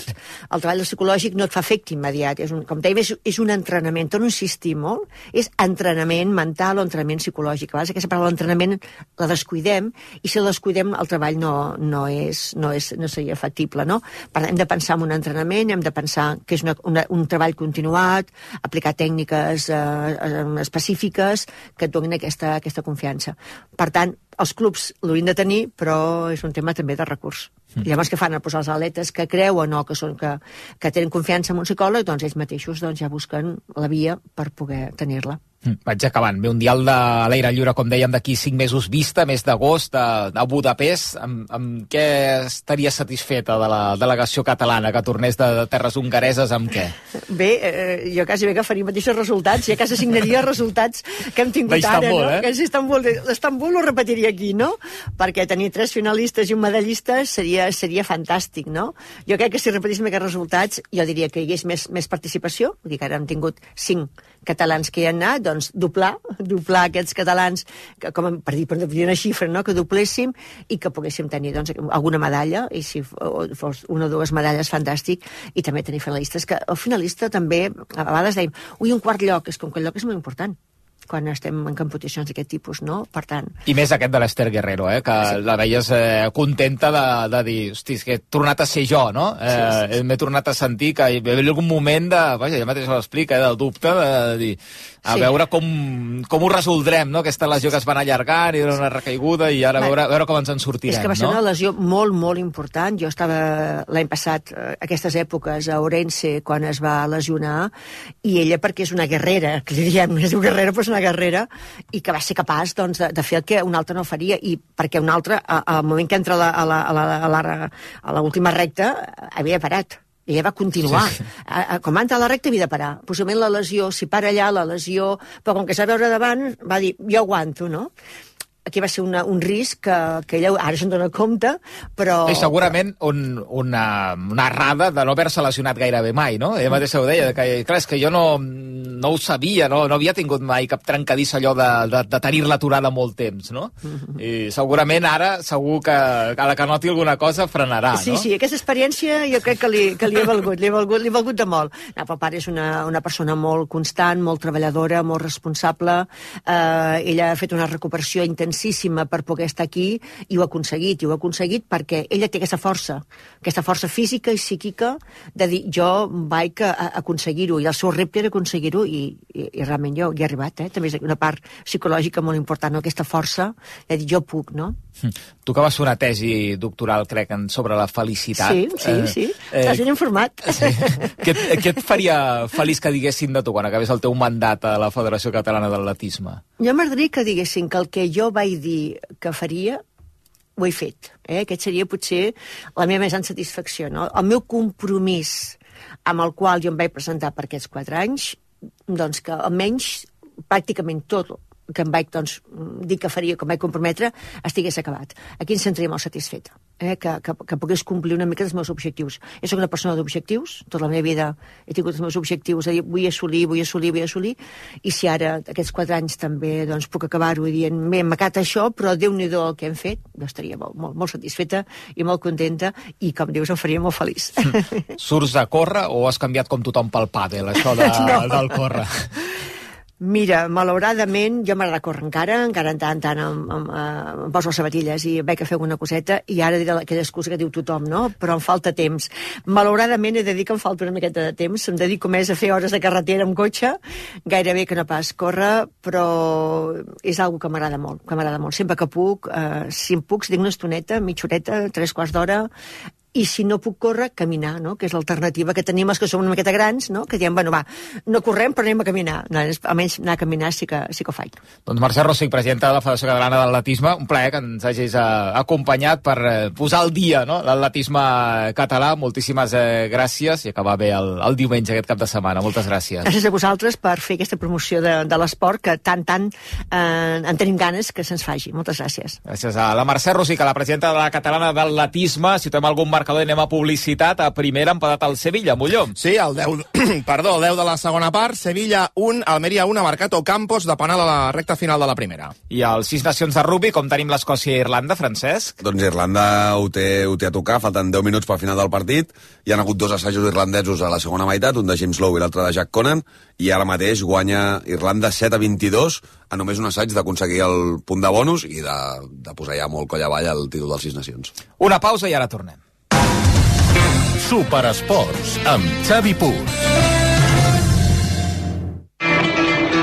El treball psicològic no et fa efecte immediat. És un, com dèiem, és, és un entrenament. Torno a insistir molt. És entrenament mental o entrenament psicològic. A vegades aquesta paraula entrenament la descuidem i si la descuidem el treball no, no, és, no, és, no seria factible, no? Per tant, hem de pensar en un entrenament, hem de pensar que és una, una, un treball continuat, aplicar tècniques eh, específiques que et donin aquesta, aquesta confiança. Per tant, els clubs l'haurien de tenir, però és un tema també de recurs. Mm. Llavors, què fan? A posar els atletes que creuen o que, són, que, que tenen confiança en un psicòleg, doncs ells mateixos doncs, ja busquen la via per poder tenir-la. Mm. Vaig acabant. Ve un dial de l'aire lliure, com dèiem, d'aquí cinc mesos vista, mes d'agost, a, a Budapest. Amb, amb què estaria satisfeta de la delegació catalana que tornés de, de terres hongareses, amb què? Bé, eh, jo quasi bé que faria mateixos resultats, ja quasi signaria resultats que hem tingut ara, no? Eh? Que és Istanbul. L'Istanbul ho repetiria aquí, no? Perquè tenir tres finalistes i un medallista seria, seria fantàstic, no? Jo crec que si repetéssim aquests resultats, jo diria que hi hagués més, més participació, perquè ara hem tingut cinc catalans que hi han anat, doncs doblar, doblar aquests catalans, que, com per dir, per dir una xifra, no? Que dobléssim i que poguéssim tenir doncs, alguna medalla, i si fos una o dues medalles, fantàstic, i també tenir finalistes, que el finalista també, a vegades dèiem, ui, un quart lloc, és que un quart lloc és molt important quan estem en competicions d'aquest tipus, no? Per tant... I més aquest de l'Ester Guerrero, eh? Que sí. La veies eh, contenta de, de dir, hosti, és que he tornat a ser jo, no? Eh, sí, sí, sí. M'he tornat a sentir que hi havia algun moment de... Vaja, ja mateix ho explica, eh, del dubte, de, de dir... A sí. veure com, com ho resoldrem, no? Aquesta lesió que es van allargant i era una recaiguda i ara a veure, a veure com ens en sortirem, no? És que va ser no? una lesió molt, molt important. Jo estava l'any passat, aquestes èpoques, a Orense, quan es va lesionar, i ella, perquè és una guerrera, que li diem, és una guerrera, però és una guerrera, i que va ser capaç doncs, de, de fer el que un altre no faria, i perquè un altre, al moment que entra a la, a la, a la, a la, a la última recta, havia parat. I ella va continuar. Sí, sí. A, a, com va entrar a la recta havia de parar. Possiblement la lesió, si para allà, la lesió... Però com que s'ha veure davant, va dir, jo aguanto, no? aquí va ser una, un risc que, que ella ara se'n dona compte, però... I segurament un, una, una errada de no haver-se lesionat gairebé mai, no? Ella mateixa ho deia, que, clar, és que jo no, no ho sabia, no, no havia tingut mai cap trencadissa allò de, de, de tenir-la aturada molt temps, no? Mm-hmm. I segurament ara, segur que a la que noti alguna cosa frenarà, sí, no? Sí, sí, aquesta experiència jo crec que li, que li he valgut, li he valgut, li he valgut de molt. No, però el pare és una, una persona molt constant, molt treballadora, molt responsable, eh, ella ha fet una recuperació intensa per poder estar aquí i ho ha aconseguit, i ho ha aconseguit perquè ella té aquesta força, aquesta força física i psíquica de dir jo vaig a, a aconseguir-ho, i el seu repte era aconseguir-ho, i, i, i realment jo hi he arribat, eh? També és una part psicològica molt important, no? Aquesta força de dir jo puc, no? Tu que vas fer una tesi doctoral, crec, sobre la felicitat. Sí, sí, eh, sí, eh, t'has ben informat. Sí. Què, què et faria feliç que diguessin de tu quan acabés el teu mandat a la Federació Catalana d'Atletisme? Jo m'agradaria que diguessin que el que jo vaig dir que faria, ho he fet. Eh? Aquest seria potser la meva més gran satisfacció. No? El meu compromís amb el qual jo em vaig presentar per aquests quatre anys, doncs que almenys pràcticament tot que em vaig doncs, dir que faria, que em vaig comprometre, estigués acabat. Aquí em sentiria molt satisfeta, eh? que, que, que pogués complir una mica els meus objectius. Jo soc una persona d'objectius, tota la meva vida he tingut els meus objectius, de dir vull assolir, vull assolir, vull assolir, i si ara aquests quatre anys també doncs, puc acabar-ho dient, m'he macat això, però Déu-n'hi-do el que hem fet, jo estaria molt, molt, molt satisfeta i molt contenta, i com dius, em faria molt feliç. Surts a córrer o has canviat com tothom pel pàdel, això de, no. del córrer? Mira, malauradament, jo m'agrada córrer encara, encara en tant, tant em, em, em poso les sabatilles i vaig a fer alguna coseta, i ara diré aquella excusa que diu tothom, no? Però em falta temps. Malauradament he de dir que em falta una miqueta de temps, em dedico més a fer hores de carretera amb cotxe, gairebé que no pas córrer, però és algo que m'agrada molt, que m'agrada molt. Sempre que puc, eh, si em puc, tinc una estoneta, mitja horeta, tres quarts d'hora, i si no puc córrer, caminar, no? Que és l'alternativa que tenim els que som una miqueta grans, no? Que diem, bueno, va, no correm, però anem a caminar. No, almenys anar a caminar sí que, sí que ho faig. Doncs Mercè Rosic, presidenta de la Federació Catalana d'Atletisme, un plaer que ens hagis eh, acompanyat per eh, posar al dia, no?, l'atletisme català. Moltíssimes eh, gràcies, i acabar bé el, el diumenge aquest cap de setmana. Moltes gràcies. Gràcies a vosaltres per fer aquesta promoció de, de l'esport que tant, tant eh, en tenim ganes que se'ns faci. Moltes gràcies. Gràcies a la Mercè Rosic, a la presidenta de la Catalana d'Atletisme. Si tenim algun marcador, anem a publicitat. A primera ha empatat el Sevilla, Molló. Sí, el deu, perdó, el deu de la segona part. Sevilla un, Almeria un, ha marcat Ocampos de penal a la recta final de la primera. I als sis nacions de rugby, com tenim l'Escòcia i Irlanda, Francesc? Doncs Irlanda ho té, ho té a tocar, falten deu minuts pel final del partit. Hi ha hagut dos assajos irlandesos a la segona meitat, un de James Lowe i l'altre de Jack Conan, i ara mateix guanya Irlanda set a vint-i-dos, a només un assaig d'aconseguir el punt de bonus i de, de posar ja molt coll avall el títol dels sis nacions. Una pausa i ara tornem. Superesports, amb Xavi Puig.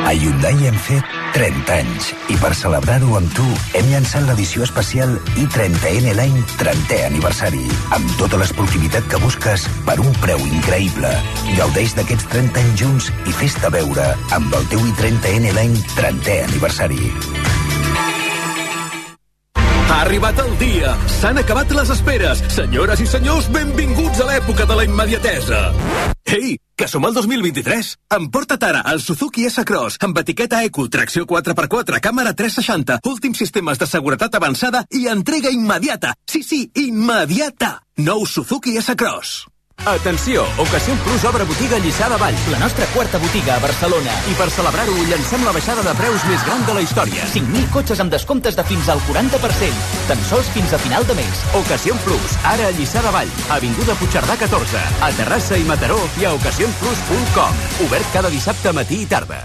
A Hyundai hem fet trenta anys i per celebrar-ho amb tu hem llançat l'edició especial i trenta N l'any trentè aniversari, amb tota l'esportivitat que busques per un preu increïble. Gaudeix d'aquests trenta anys junts i fes-te veure amb el teu i trenta N l'any trentè aniversari. Ha arribat el dia. S'han acabat les esperes. Senyores i senyors, benvinguts a l'època de la immediatesa. Ei, que som al dos mil vint-i-tres. Emporta't ara el Suzuki S-Cross amb etiqueta Eco, tracció quatre per quatre, càmera tres seixanta, últims sistemes de seguretat avançada i entrega immediata. Sí, sí, immediata. Nou Suzuki S-Cross. Atenció, Ocasión Plus obre botiga a Lliçà de Vall, la nostra quarta botiga a Barcelona. I per celebrar-ho, llancem la baixada de preus més gran de la història. cinc mil cotxes amb descomptes de fins al quaranta per cent. Tan sols fins a final de mes. Ocasión Plus, ara a Lliçà de Vall, avinguda Puigcerdà catorze, a Terrassa i Mataró i a ocasión plus punt com. Obert cada dissabte matí i tarda.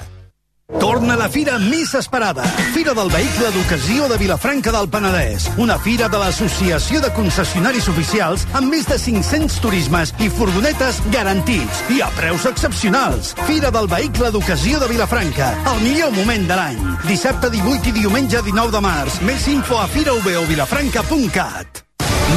Torna la fira més esperada. Fira del Vehicle d'Ocasió de Vilafranca del Penedès. Una fira de l'Associació de Concessionaris Oficials amb més de cinc-cents turismes i furgonetes garantits i a preus excepcionals. Fira del Vehicle d'Ocasió de Vilafranca. El millor moment de l'any. Dissabte divuit i diumenge dinou de març. Més info a fira u be o vilafranca punt cat.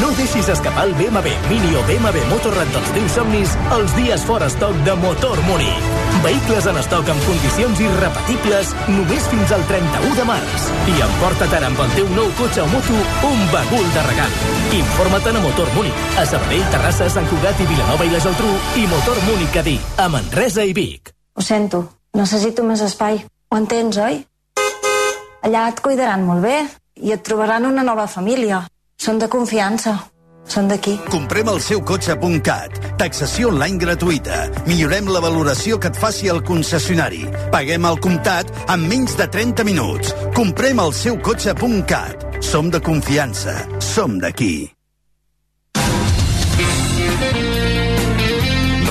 No deixis escapar el B M W Mini o B M W Motorrad dels teus somnis els dies fora estoc de Motor Múnich. Vehicles en estoc amb condicions irrepetibles només fins al trenta-u de març. I emporta't ara amb el teu nou cotxe o moto un bagul de regal. Informa't a Motor Múnich, a Sabadell, Terrassa, Sant Cugat i Vilanova i la Geltrú, i Motor Múnich Cadí, a Manresa i Vic. Ho sento, necessito més espai. Ho entens, oi? Allà et cuidaran molt bé i et trobaran una nova família. Són de confiança. Són d'aquí. Comprem el seu cotxe punt cat. Taxació online gratuïta. Millorem la valoració que et faci el concessionari. Paguem al comptat en menys de trenta minuts. Comprem el seu cotxe punt cat. Som de confiança. Som d'aquí.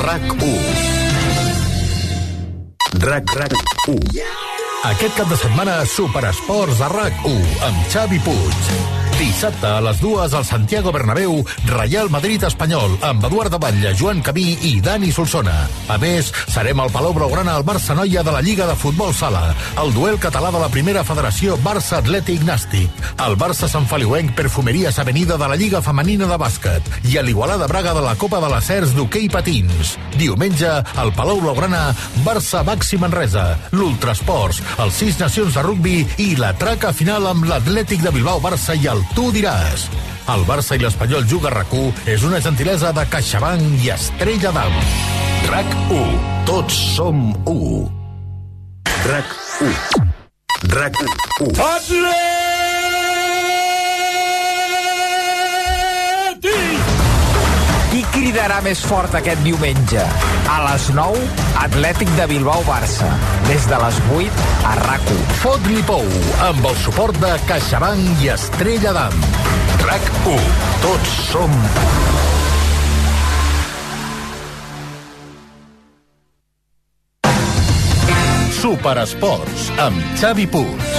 RAC u. RAC, RAC u. Aquest cap de setmana, Superesports a RAC u, amb Xavi Puig. Dissabte a les dues al Santiago Bernabéu, Real Madrid-Espanyol, amb Eduard de Batlle, Joan Camí i Dani Solsona. A més, serem al Palau Blaugrana al Barça-Noia de la Lliga de Futbol Sala, el duel català de la primera federació Barça-Atlètic Nàstic, el Barça Sant Feliuenc Perfumeries Avenida de la Lliga Femenina de Bàsquet i a l'Igualada Braga de la Copa de les Cers d'hoquei patins. Diumenge, al Palau Blaugrana, Barça-Baxi Manresa, l'Ultrasports, els Sis Nacions de Rugbi i la traca final amb l'Atlètic de Bilbao-Barça i el Tu diràs. El Barça i l'Espanyol Juga RAC u és una gentilesa de CaixaBank i Estrella d'Am. RAC u. Tots som u. RAC u. RAC u. Qui cridarà més fort aquest diumenge? A les nou, Atlètic de Bilbao-Barça. Des de les vuit, a RAC u. Fot-li pou, amb el suport de CaixaBank i Estrella d'Am. RAC u. Tots som Superesports, amb Xavi Puig.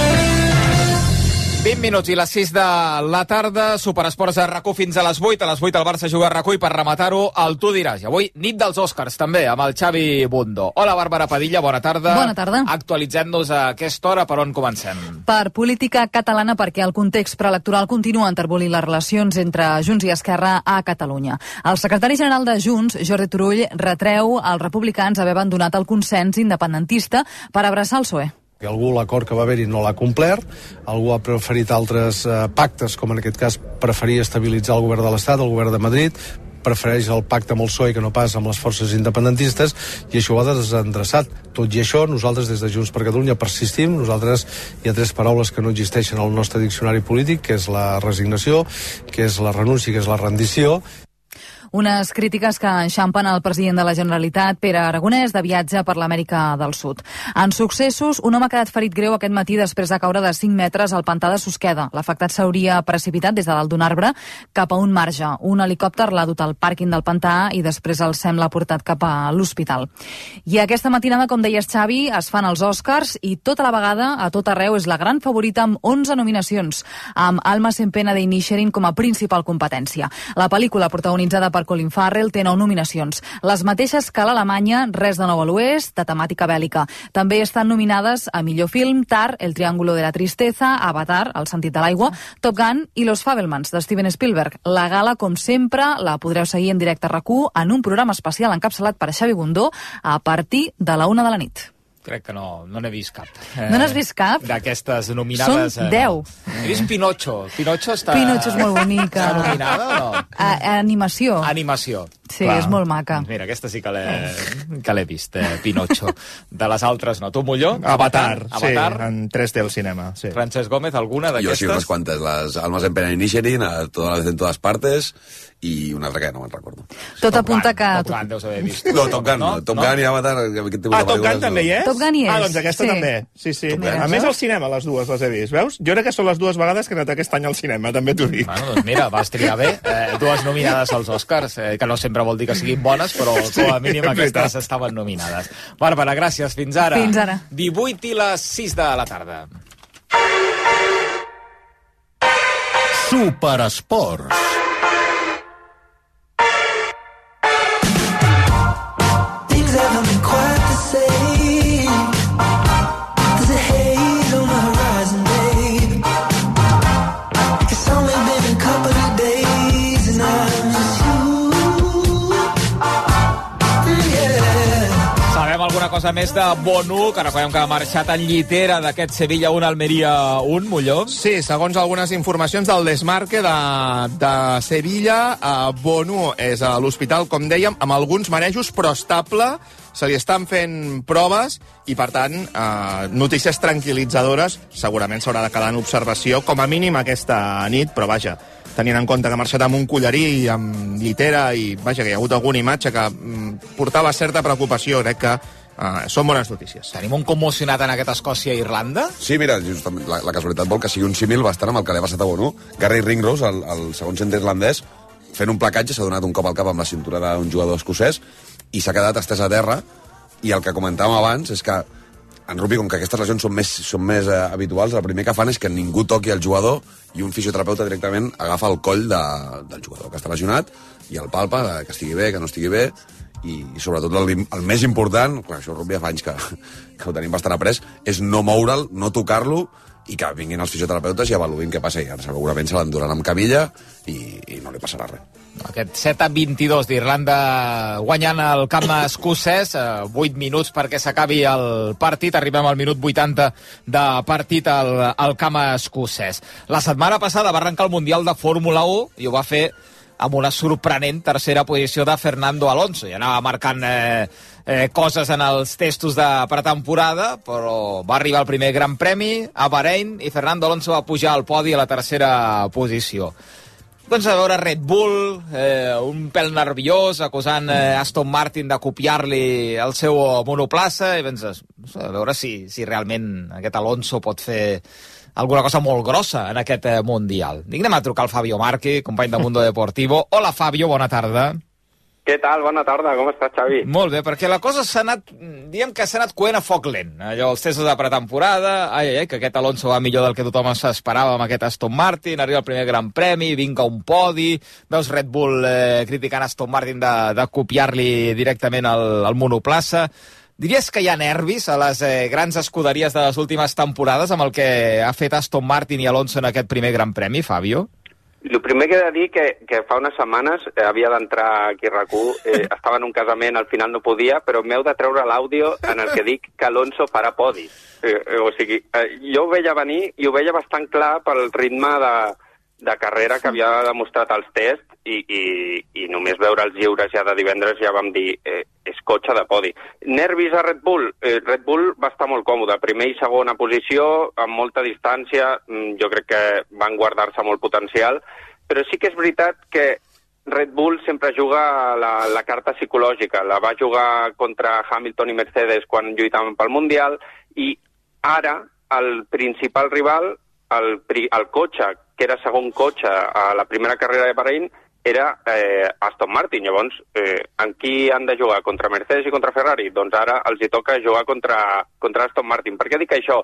vint minuts i les sis de la tarda, Superesports a RAC u fins a les vuit. A les vuit el Barça juga a RAC u i per rematar-ho el Tu diràs. I avui, nit dels Oscars, també, amb el Xavi Bundó. Hola, Bàrbara Padilla, bona tarda. Bona tarda. Actualitzem-nos a aquesta hora, per on comencem? Per política catalana, perquè el context preelectoral continua enterbolint les relacions entre Junts i Esquerra a Catalunya. El secretari general de Junts, Jordi Turull, retreu als republicans haver abandonat el consens independentista per abraçar el P S O E. Que algú l'acord que va haver-hi no l'ha complert, algú ha preferit altres eh, pactes, com en aquest cas preferia estabilitzar el govern de l'Estat, el govern de Madrid, prefereix el pacte amb el P S O E que no pas amb les forces independentistes, i això ho ha desendreçat. Tot i això, nosaltres des de Junts per Catalunya persistim. Nosaltres hi ha tres paraules que no existeixen al nostre diccionari polític, que és la resignació, que és la renúncia i que és la rendició. Unes crítiques que enxampen el president de la Generalitat, Pere Aragonès, de viatge per l'Amèrica del Sud. En successos, un home ha quedat ferit greu aquest matí després de caure de cinc metres al pantà de Susqueda. L'afectat s'hauria precipitat des de dalt d'un arbre cap a un marge. Un helicòpter l'ha dut al pàrquing del pantà i després el SEM l'ha portat cap a l'hospital. I aquesta matinada, com deies, Xavi, es fan els Oscars i tota la vegada, a tot arreu, és la gran favorita amb onze nominacions, amb Alma Sempena de Inisherin com a principal competència. La pel·lícula protagonitzada per per Colin Farrell té nou nominacions. Les mateixes que l'Alemanya, Res de nou a l'Oest, de temàtica bèl·lica. També estan nominades a millor film Tar, El triángulo de la tristeza, Avatar, El sentit de l'aigua, Top Gun i Los Fabelmans, de Steven Spielberg. La gala, com sempre, la podreu seguir en directe a RAC u en un programa especial encapçalat per Xavi Bundó a partir de la una de la nit. Crec que no, no n'he vist cap. No n'has vist cap? D'aquestes nominades. Són deu. He vist Pinocho. Pinocho està... Pinocho és molt bonica. Està nominada o no? A, a animació. Animació. Sí, clar. És molt maca. Mira, aquesta sí que l'he que l'he vist, eh, Pinocho. De les altres no. Tu, Molló? Avatar, Avatar, sí, en tres D al cinema. Sí. Francesc Gómez, alguna d'aquestes? Jo sí, unes quantes. Les Almas en Pena Inisherin, a todas, en todas partes, i una altra que no me'n recordo. Tot apunta que... Top Gun deus haver vist. No, Top Gun no. Top no? Gun i Avatar... Ah, Top Gun també hi és? Top Gun hi és. Ah, doncs aquesta sí. també. Sí, sí. A més, al cinema les dues les he vist, veus? Jo crec que són les dues vegades que he anat aquest any al cinema, també t'ho dic. Bueno, doncs mira, vas triar bé. Eh, dues nominades als Oscars, eh, que no sempre vol dir que siguin bones, però sí, com a mínim aquestes estaven nominades. Bàrbara, gràcies. Fins ara. Fins ara. divuit i les sis de la tarda. Superesports. Alguna cosa més de Bonu, que recordem que ha marxat en llitera d'aquest Sevilla un, Almeria un, Molló. Sí, segons algunes informacions del Desmarque de, de Sevilla, eh, Bonu és a l'hospital, com dèiem, amb alguns marejos, però estable, se li estan fent proves i, per tant, eh, notícies tranquil·litzadores. Segurament s'haurà de quedar en observació, com a mínim aquesta nit, però vaja, tenint en compte que ha marxat amb un collarí i amb llitera i, vaja, que hi ha hagut alguna imatge que mm, portava certa preocupació, crec que uh, són bones notícies. Tenim un commocionat en aquest Escòcia-Irlanda? Sí, mira, justament, la, la casualitat vol que sigui un símil bastant amb el que li ha passat a Bonu. Gary Ringrose, el, el segon centre irlandès, fent un placatge, s'ha donat un cop al cap amb la cintura d'un jugador escocès i s'ha quedat estès a terra, i el que comentàvem abans és que en rugby, com que aquestes lesions són més, són més eh, habituals, el primer que fan és que ningú toqui el jugador i un fisioterapeuta directament agafa el coll de, del jugador que està lesionat i el palpa, que estigui bé, que no estigui bé, i, i sobretot el, el més important, clar, això el rugby fa anys que, que ho tenim bastant après, és no moure'l, no tocar-lo, i que vinguin els fisioterapeutes i avaluïn què passa. I ara segurament se l'enduran amb camilla i, i no li passarà res. Aquest set a vint-i-dos d'Irlanda guanyant el camp escocès, vuit minuts perquè s'acabi el partit, arribem al minut vuitanta de partit al, al camp escocès. La setmana passada va arrencar el Mundial de Fórmula u i ho va fer amb una sorprenent tercera posició de Fernando Alonso. I anava marcant eh, eh, coses en els testos de pretemporada, però va arribar el primer Gran Premi a Bahrein i Fernando Alonso va pujar al podi a la tercera posició. Doncs a veure Red Bull, eh, un pèl nerviós, acusant eh, Aston Martin de copiar-li el seu monoplaça, i penses, a veure si, si realment aquest Alonso pot fer alguna cosa molt grossa en aquest eh, Mundial. Dic, anem a trucar al Fabio Marchi, company de Mundo Deportivo. Hola, Fabio, bona tarda. Què tal? Bona tarda, com estàs, Xavi? Molt bé, perquè la cosa s'ha anat, diguem que s'ha anat coent a foc lent. Allò, els testos de pretemporada, ai, ai, ai, que aquest Alonso va millor del que tothom s'esperava amb aquest Aston Martin, arriba el primer Gran Premi, vinga un podi, veus Red Bull eh, criticant Aston Martin de, de copiar-li directament el, el monoplaça. Diries que hi ha nervis a les eh, grans escuderies de les últimes temporades amb el que ha fet Aston Martin i Alonso en aquest primer Gran Premi, Fabio? El primer que he de dir que, que fa unes setmanes eh, havia d'entrar aquí a RAC u, eh, estava en un casament, al final no podia, però m'heu de treure l'àudio en el que dic que Alonso farà podi. Eh, eh, o sigui, eh, jo ho veia venir i ho veia bastant clar pel ritme de, de carrera que havia demostrat als tests i, i, i només veure els lliures ja de divendres ja vam dir eh, és cotxe de podi. Nervis a Red Bull? Eh, Red Bull va estar molt còmode, primer i segona posició, amb molta distància, jo crec que van guardar-se molt potencial, però sí que és veritat que Red Bull sempre juga la, la carta psicològica, la va jugar contra Hamilton i Mercedes quan lluitaven pel Mundial, i ara el principal rival, el, el cotxe, que era segon cotxe a la primera carrera de Bahrein, era eh, Aston Martin. Llavors, eh, en qui han de jugar? Contra Mercedes i contra Ferrari? Doncs ara els hi toca jugar contra, contra Aston Martin. Per què dic això?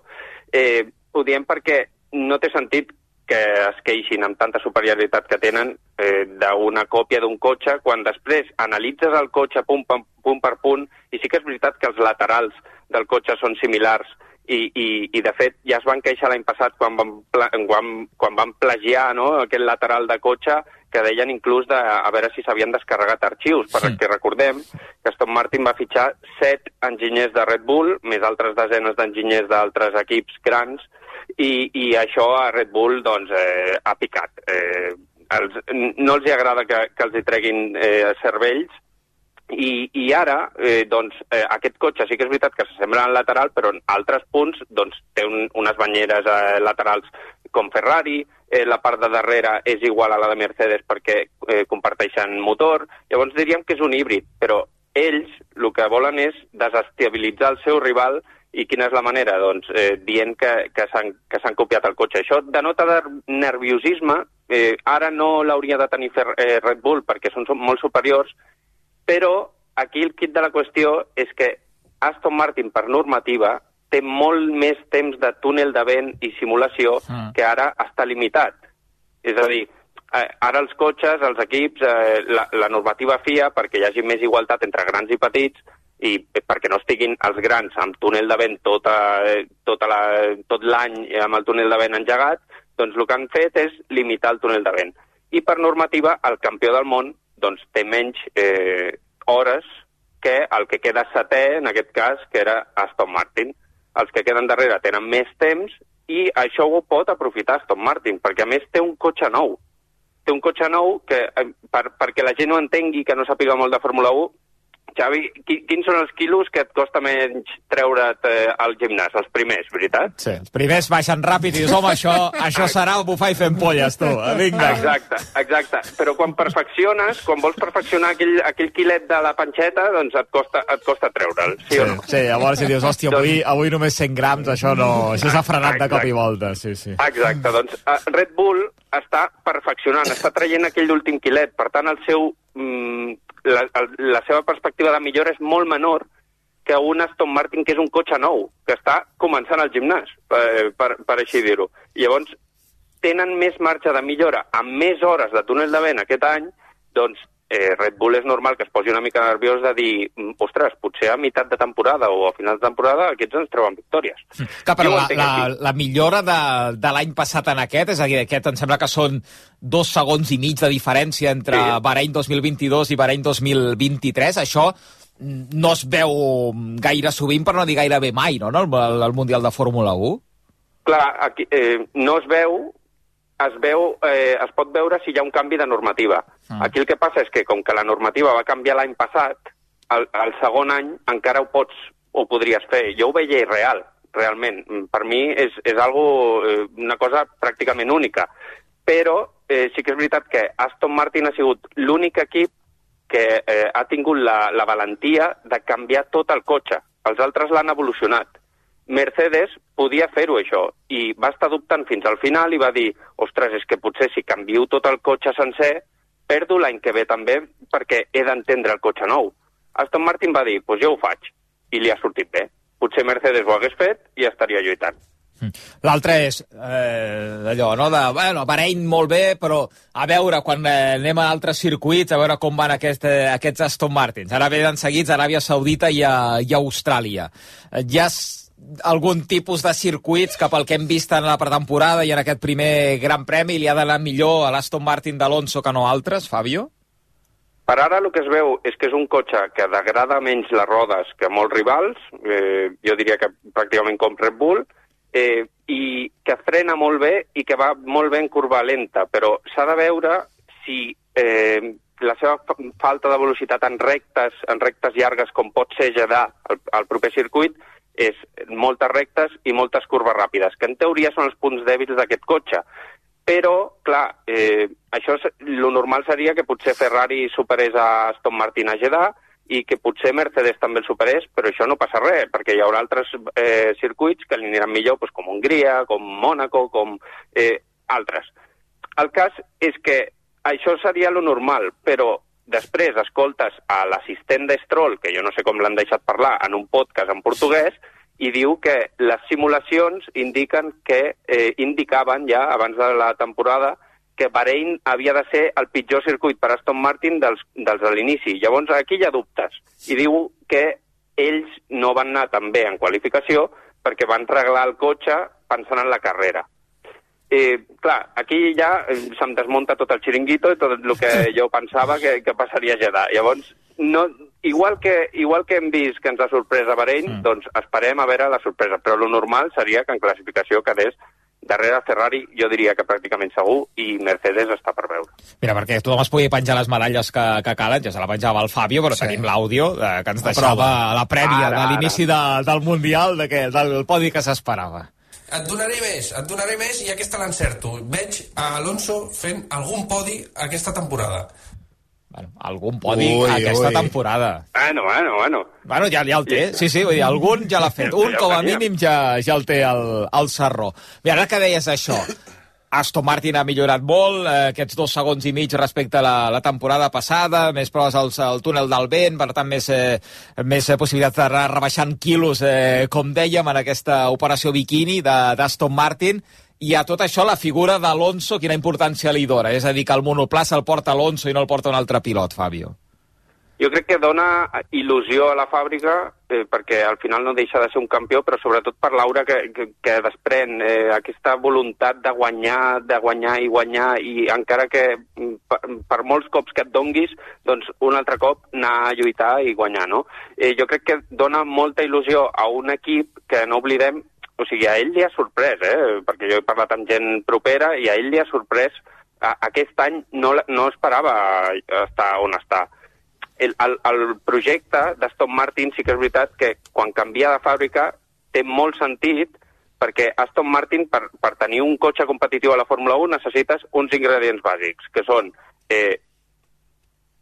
Eh, ho diem perquè no té sentit que es queixin amb tanta superioritat que tenen eh, d'una còpia d'un cotxe, quan després analitzes el cotxe punt, punt per punt, i sí que és veritat que els laterals del cotxe són similars, i, i, i de fet ja es van queixar l'any passat quan van, quan, quan van plagiar, no?, aquest lateral de cotxe, que deien inclús de, a veure si s'havien descarregat arxius, perquè recordem que Aston Martin va fitxar set enginyers de Red Bull, més altres desenes d'enginyers d'altres equips grans, i, i això a Red Bull doncs, eh, ha picat. Eh, els, no els hi agrada que, que els hi treguin eh, cervells, i, i ara eh, doncs, eh, aquest cotxe sí que és veritat que s'assembla al lateral, però en altres punts doncs, té un, unes banyeres eh, laterals com Ferrari, eh, la part de darrere és igual a la de Mercedes perquè eh, comparteixen motor. Llavors diríem que és un híbrid, però ells el que volen és desestabilitzar el seu rival. I quina és la manera? Doncs eh, dient que, que s'han copiat el cotxe. Això denota de nerviosisme. Eh, ara no l'hauria de tenir fer, eh, Red Bull perquè són, són molt superiors, però aquí el quid de la qüestió és que Aston Martin, per normativa, té molt més temps de túnel de vent i simulació mm. que ara està limitat. És a dir, ara els cotxes, els equips, eh, la, la normativa F I A, perquè hi hagi més igualtat entre grans i petits, i perquè no estiguin els grans amb túnel de vent tota, tota la, tot l'any amb el túnel de vent engegat, doncs el que han fet és limitar el túnel de vent. I per normativa, el campió del món doncs, té menys eh, hores que el que queda setè, en aquest cas, que era Aston Martin. Els que queden darrere tenen més temps i això ho pot aprofitar Aston Martin, perquè a més té un cotxe nou. Té un cotxe nou que, eh, per, perquè la gent no entengui, que no sàpiga molt de Fórmula u, Xavi, qui, quins són els quilos que et costa menys treure't eh, al gimnàs? Els primers, veritat? Sí, els primers baixen ràpid i dius, home, això, això serà bufar i fent polles, tu. Vinga. Exacte, exacte. Però quan perfecciones, quan vols perfeccionar aquell, aquell quilet de la panxeta, doncs et costa, et costa treure'l, sí, sí o no? Sí, llavors si dius, hòstia, avui, avui només cent grams, això no... Això s'ha frenat de cop i volta, sí, sí. Exacte, doncs uh, Red Bull està perfeccionant, està traient aquell últim quilet, per tant el seu... Mm, La, la seva perspectiva de millora és molt menor que un Aston Martin, que és un cotxe nou, que està començant al gimnàs, per, per, per així dir-ho. Llavors, tenen més marge de millora amb més hores de túnel de vent aquest any, doncs eh, Red Bull és normal que es posi una mica nerviós de dir, ostres, potser a meitat de temporada o a final de temporada aquests ens treuen victòries. Que, però la, la, la millora de, de l'any passat en aquest, és a dir, aquest em sembla que són dos segons i mig de diferència entre sí. Bahrein dos mil vint-i-dos i Bahrein dos mil vint-i-tres, això no es veu gaire sovint, per no dir gairebé mai, no?, el, el Mundial de Fórmula u. Clar, aquí, eh, no es veu, es veu, eh, es pot veure si hi ha un canvi de normativa. Ah. Aquí el que passa és que, com que la normativa va canviar l'any passat, el, el segon any encara ho pots, ho podries fer. Jo ho veia irreal, realment. Per mi és, és algo, eh, una cosa pràcticament única. Però eh, sí que és veritat que Aston Martin ha sigut l'únic equip que eh, ha tingut la, la valentia de canviar tot el cotxe. Els altres l'han evolucionat. Mercedes podia fer-ho, això, i va estar dubtant fins al final i va dir, ostres, és que potser si canvio tot el cotxe sencer, perdo l'any que ve també perquè he d'entendre el cotxe nou. Aston Martin va dir, doncs pues jo ho faig, i li ha sortit bé. Potser Mercedes ho hagués fet i estaria lluitant. L'altre és eh, allò, no?, de, bueno, Bahrein molt bé, però a veure, quan eh, anem a altres circuits, a veure com van aquest, eh, aquests Aston Martins. Ara venen seguits a Aràbia Saudita i a, i a Austràlia. Eh, hi ha algun tipus de circuits que pel que hem vist en la pretemporada i en aquest primer Gran Premi li ha d'anar millor a l'Aston Martin d'Alonso que no altres, Fabio? Per ara el que es veu és que és un cotxe que degrada menys les rodes que molts rivals, eh, jo diria que pràcticament com Red Bull, eh, i que frena molt bé i que va molt bé en curva lenta, però s'ha de veure si eh, la seva falta de velocitat en rectes, en rectes llargues com pot ser Jeddah al, al proper circuit, és moltes rectes i moltes curves ràpides, que en teoria són els punts dèbils d'aquest cotxe. Però, clar, eh, això, lo normal seria que potser Ferrari superés a Aston Martin a Jeddah i que potser Mercedes també el superés, però això no passa res, perquè hi haurà altres eh, circuits que li aniran millor, doncs, com Hongria, com Mònaco, com eh, altres. El cas és que això seria lo normal, però després escoltes a l'assistent de Stroll, que jo no sé com l'han deixat parlar, en un podcast en portuguès, i diu que les simulacions indiquen que eh, indicaven ja, abans de la temporada, que Bahrein havia de ser el pitjor circuit per Aston Martin dels, dels de l'inici. Llavors aquí hi ha dubtes. I diu que ells no van anar tan bé en qualificació perquè van reglar el cotxe pensant en la carrera. Eh, clar, aquí ja eh, se'm desmunta tot el xiringuito i tot el que jo pensava que, que passaria a Jeddah. Llavors, no, igual, que, igual que hem vist que ens ha sorprès a Bahrein, mm. doncs esperem a veure la sorpresa. Però lo normal seria que en classificació quedés darrere Ferrari, jo diria que pràcticament segur, i Mercedes està per veure. Mira, perquè tothom es pugui penjar les medalles que, que calen, ja se la penjava el Fabio, però sí. Tenim l'àudio eh, que ens deixava la prèvia ara, de l'inici de, del Mundial, de que, del podi que s'esperava. Et donaré més, et donaré més i aquesta l'encerto. Veig a Alonso fent algun podi aquesta temporada. Bueno, algun podi ui, aquesta ui. temporada. Bueno, bueno, bueno. Bueno, ja, ja el té, sí, sí, vull dir, algun ja l'ha fet. Un, com a mínim, ja, ja el té el, el Sarró. Mira, ara que deies això, Aston Martin ha millorat molt, eh, aquests dos segons i mig respecte a la, la temporada passada, més proves al, al túnel del vent, per tant, més, eh, més eh, possibilitats d'anar rebaixant quilos, eh, com dèiem, en aquesta operació bikini d'Aston Martin. I a tot això la figura d'Alonso, quina importància li dona? És a dir, que el monoplà se'l porta Alonso i no el porta un altre pilot, Fabio. Jo crec que dona il·lusió a la fàbrica, eh, perquè al final no deixa de ser un campió, però sobretot per l'aura que, que, que desprèn, eh, aquesta voluntat de guanyar, de guanyar i guanyar, i encara que per, per molts cops que et donguis, doncs un altre cop anar a lluitar i guanyar, no? Eh, jo crec que dona molta il·lusió a un equip que no oblidem. O sigui, a ell li ha sorprès, eh? Perquè jo he parlat amb gent propera i a ell li ha sorprès. A, aquest any no, no esperava estar on està. el, el, el projecte d'Aston Martin sí que és veritat que quan canvia de fàbrica té molt sentit, perquè Aston Martin, per, per tenir un cotxe competitiu a la Fórmula un, necessites uns ingredients bàsics, que són eh,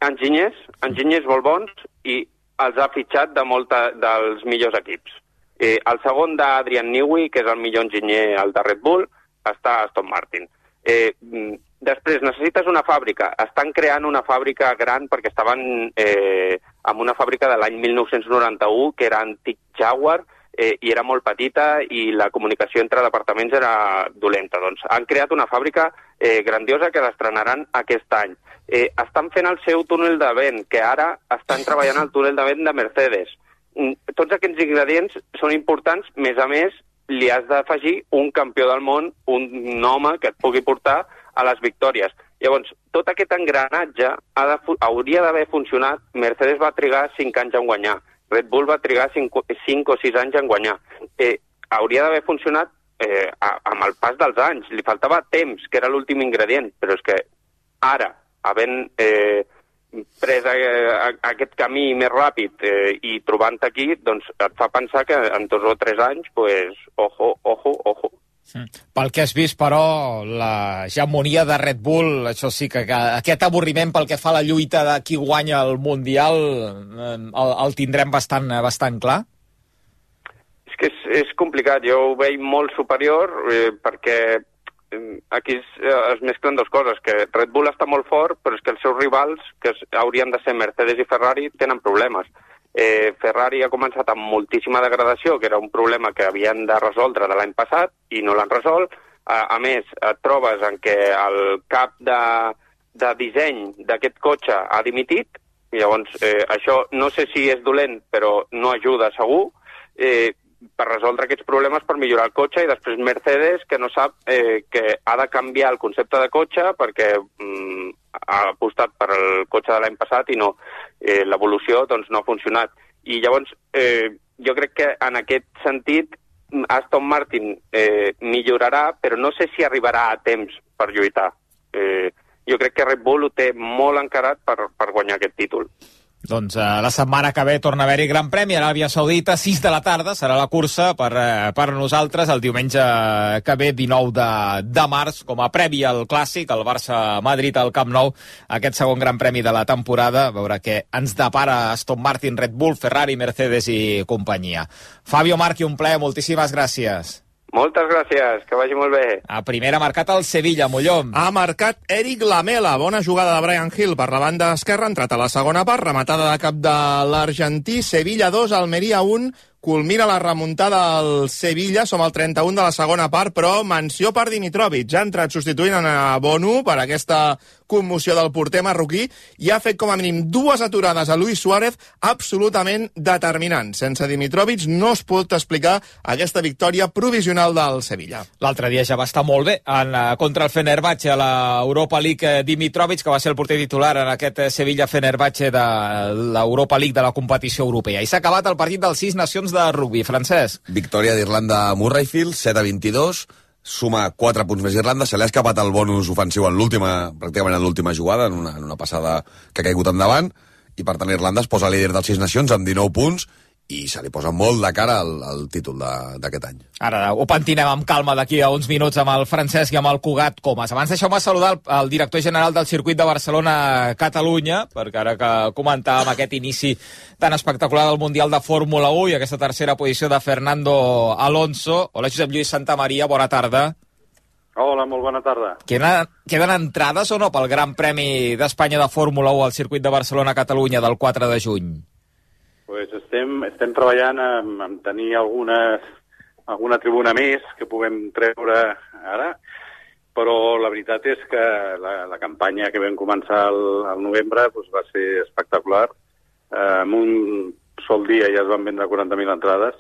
enginyers, enginyers molt bons, i els ha fitxat de molta, dels millors equips. Eh, el segon d'Adrian Newey, que és el millor enginyer, el de Red Bull, està a Aston Martin. Eh, després, necessites una fàbrica. Estan creant una fàbrica gran perquè estaven eh, en una fàbrica de l'any mil nou-cents noranta-u, que era antic Jaguar, eh, i era molt petita i la comunicació entre departaments era dolenta. Doncs han creat una fàbrica eh, grandiosa que l'estrenaran aquest any. Eh, estan fent el seu túnel de vent, que ara estan treballant al túnel de vent de Mercedes. Tots aquests ingredients són importants, més a més, li has d'afegir un campió del món, un home que et pugui portar a les victòries. Llavors, tot aquest engranatge ha de, hauria d'haver funcionat. Mercedes va trigar cinc anys en guanyar. Red Bull va trigar cinc o sis anys en guanyar. Eh, hauria d'haver funcionat eh, amb el pas dels anys. Li faltava temps, que era l'últim ingredient, però és que ara, havent eh, pres a, a, a aquest camí més ràpid eh, i trobant aquí, doncs et fa pensar que en dos o tres anys, pues, ojo, ojo, ojo. Mm. Pel que has vist, però, l'hegemonia de Red Bull, això sí que, que aquest avorriment pel que fa a la lluita de qui guanya el Mundial eh, el, el tindrem bastant, bastant clar? És que és, és complicat, jo ho veig molt superior eh, perquè aquí es, es mesclen dues coses, que Red Bull està molt fort, però és que els seus rivals, que es, haurien de ser Mercedes i Ferrari, tenen problemes. Eh, Ferrari ha començat amb moltíssima degradació, que era un problema que havien de resoldre de l'any passat, i no l'han resolt. A, a més, et trobes en què el cap de, de disseny d'aquest cotxe ha dimitit, i llavors eh, això no sé si és dolent, però no ajuda segur, eh, per resoldre aquests problemes, per millorar el cotxe, i després Mercedes, que no sap eh, que ha de canviar el concepte de cotxe perquè mm, ha apostat per el cotxe de l'any passat i no, eh, l'evolució doncs, no ha funcionat. I llavors eh, jo crec que en aquest sentit Aston Martin eh, millorarà, però no sé si arribarà a temps per lluitar. Eh, jo crec que Red Bull ho té molt encarat per, per guanyar aquest títol. Doncs eh, la setmana que ve torna a haver-hi Gran Premi a l'Aràbia Saudita, sis de la tarda serà la cursa per, eh, per nosaltres el diumenge que ve, dinou de, de març, com a previ al Clàssic, el Barça-Madrid al Camp Nou, aquest segon Gran Premi de la temporada, a veure què ens depara Aston Martin, Red Bull, Ferrari, Mercedes i companyia. Fabio Marchi, un plaer, moltíssimes gràcies. Moltes gràcies, que vagi molt bé. A primera ha marcat el Sevilla, Mollom. Ha marcat Eric Lamela, bona jugada de Brian Hill per la banda esquerra, entrat a la segona part, rematada de cap de l'argentí, Sevilla dos, Almeria un, culmina la remuntada al Sevilla, som al trenta-un de la segona part, però menció per Dimitrovic, ja ha entrat substituint a Bonu per aquesta commoció del porter marroquí i ha fet com a mínim dues aturades a Luis Suárez absolutament determinants. Sense Dimitrovic no es pot explicar aquesta victòria provisional del Sevilla. L'altre dia ja va estar molt bé en, contra el Fenerbahce a l'Europa League, Dimitrovic, que va ser el porter titular en aquest Sevilla-Fenerbahce de l'Europa League de la competició europea. I s'ha acabat el partit dels sis nacions de rugby. Francesc. Victòria d'Irlanda a Murrayfield, set a vint-i-dos, suma quatre punts més Irlanda, se li ha escapat el bonus ofensiu en l'última, pràcticament en l'última jugada, en una, en una passada que ha caigut endavant, i per tant Irlanda es posa líder dels sis nacions amb dinou punts, i se li posa molt de cara al, al títol d'aquest any. Ara ho pentinem amb calma d'aquí a uns minuts amb el Francesc i amb el Cugat Comas. Abans deixeu-me saludar el, el director general del circuit de Barcelona-Catalunya, perquè ara que comentàvem aquest inici tan espectacular del Mundial de Fórmula u i aquesta tercera posició de Fernando Alonso. Hola, Josep Lluís Santamaria, bona tarda. Hola, molt bona tarda. Queden, queden entrades o no pel Gran Premi d'Espanya de Fórmula u al circuit de Barcelona-Catalunya del quatre de juny? Pues estem, estem treballant en, en tenir algunes, alguna tribuna més que puguem treure ara, però la veritat és que la, la campanya que vam començar al, al novembre pues, va ser espectacular. Eh, en un sol dia ja es van vendre quaranta mil entrades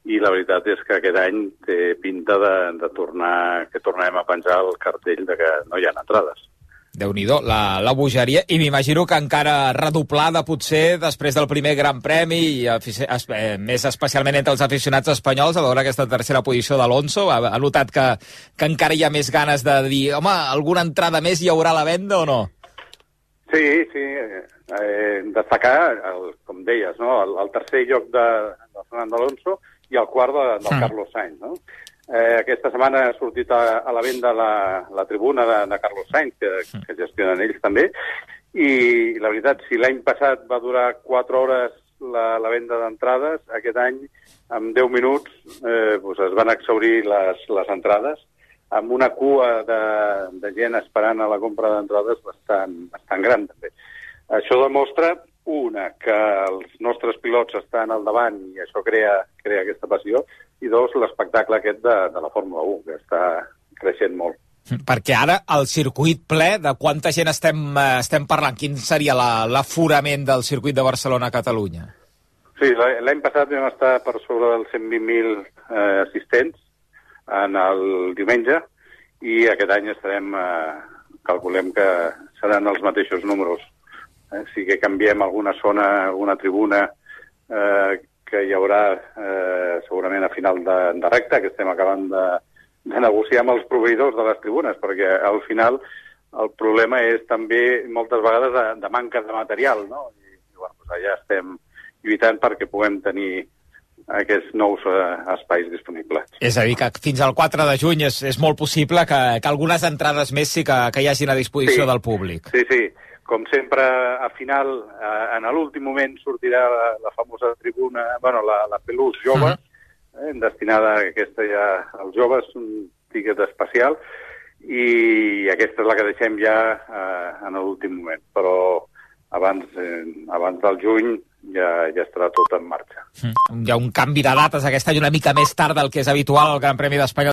i la veritat és que aquest any té pinta de, de tornar, que tornarem a penjar el cartell de que no hi ha entrades. Déu-n'hi-do, la, la bogeria, i m'imagino que encara redoblada potser després del primer Gran Premi i es, eh, més especialment entre els aficionats espanyols a veure aquesta tercera posició d'Alonso. Ha, ha notat que, que encara hi ha més ganes de dir home, alguna entrada més hi haurà a la venda o no? Sí, sí. Eh, destacar, el, com deies, no? el, el tercer lloc de, de Fernando Alonso i el quart de, del mm. Carlos Sainz. No? Eh, aquesta setmana ha sortit a, a la venda la, la tribuna de, de Carlos Sainz, que, que gestionen ells també, i la veritat, si l'any passat va durar quatre hores la, la venda d'entrades, aquest any, en deu minuts, eh, doncs es van exhaurir les, les entrades, amb una cua de, de gent esperant a la compra d'entrades bastant, bastant gran, també. Això demostra, una, que els nostres pilots estan al davant i això crea, crea aquesta passió, i dos, l'espectacle aquest de, de la Fórmula u, que està creixent molt. Perquè ara el circuit ple, de quanta gent estem, estem parlant? Quin seria la, l'aforament del circuit de Barcelona a Catalunya? Sí, l'any passat vam estar per sobre dels cent vint mil eh, assistents en el diumenge i aquest any estarem, eh, calculem que seran els mateixos números. Eh? Sí que canviem alguna zona, alguna tribuna eh, que hi haurà eh, segurament a final de, de recta, que estem acabant de de negociar amb els proveïdors de les tribunes, perquè al final el problema és també moltes vegades de, de manca de material, no? I, i bueno, doncs allà estem lluitant perquè puguem tenir aquests nous eh, espais disponibles. És a dir, que fins al quatre de juny és, és molt possible que, que algunes entrades més sí que, que hi hagin a disposició sí, del públic. Sí, sí. Com sempre, a final, eh, en l'últim moment sortirà la, la famosa tribuna, bueno, la, la Pelús jove, uh-huh. Eh, destinada a aquesta ja als joves, un tiquet especial, i aquesta és la que deixem ja eh, en l'últim moment. Però abans, eh, abans del juny ja, ja estarà tot en marxa. Mm. Hi ha un canvi de dates aquest any una mica més tard del que és habitual al Gran Premi d'Espanya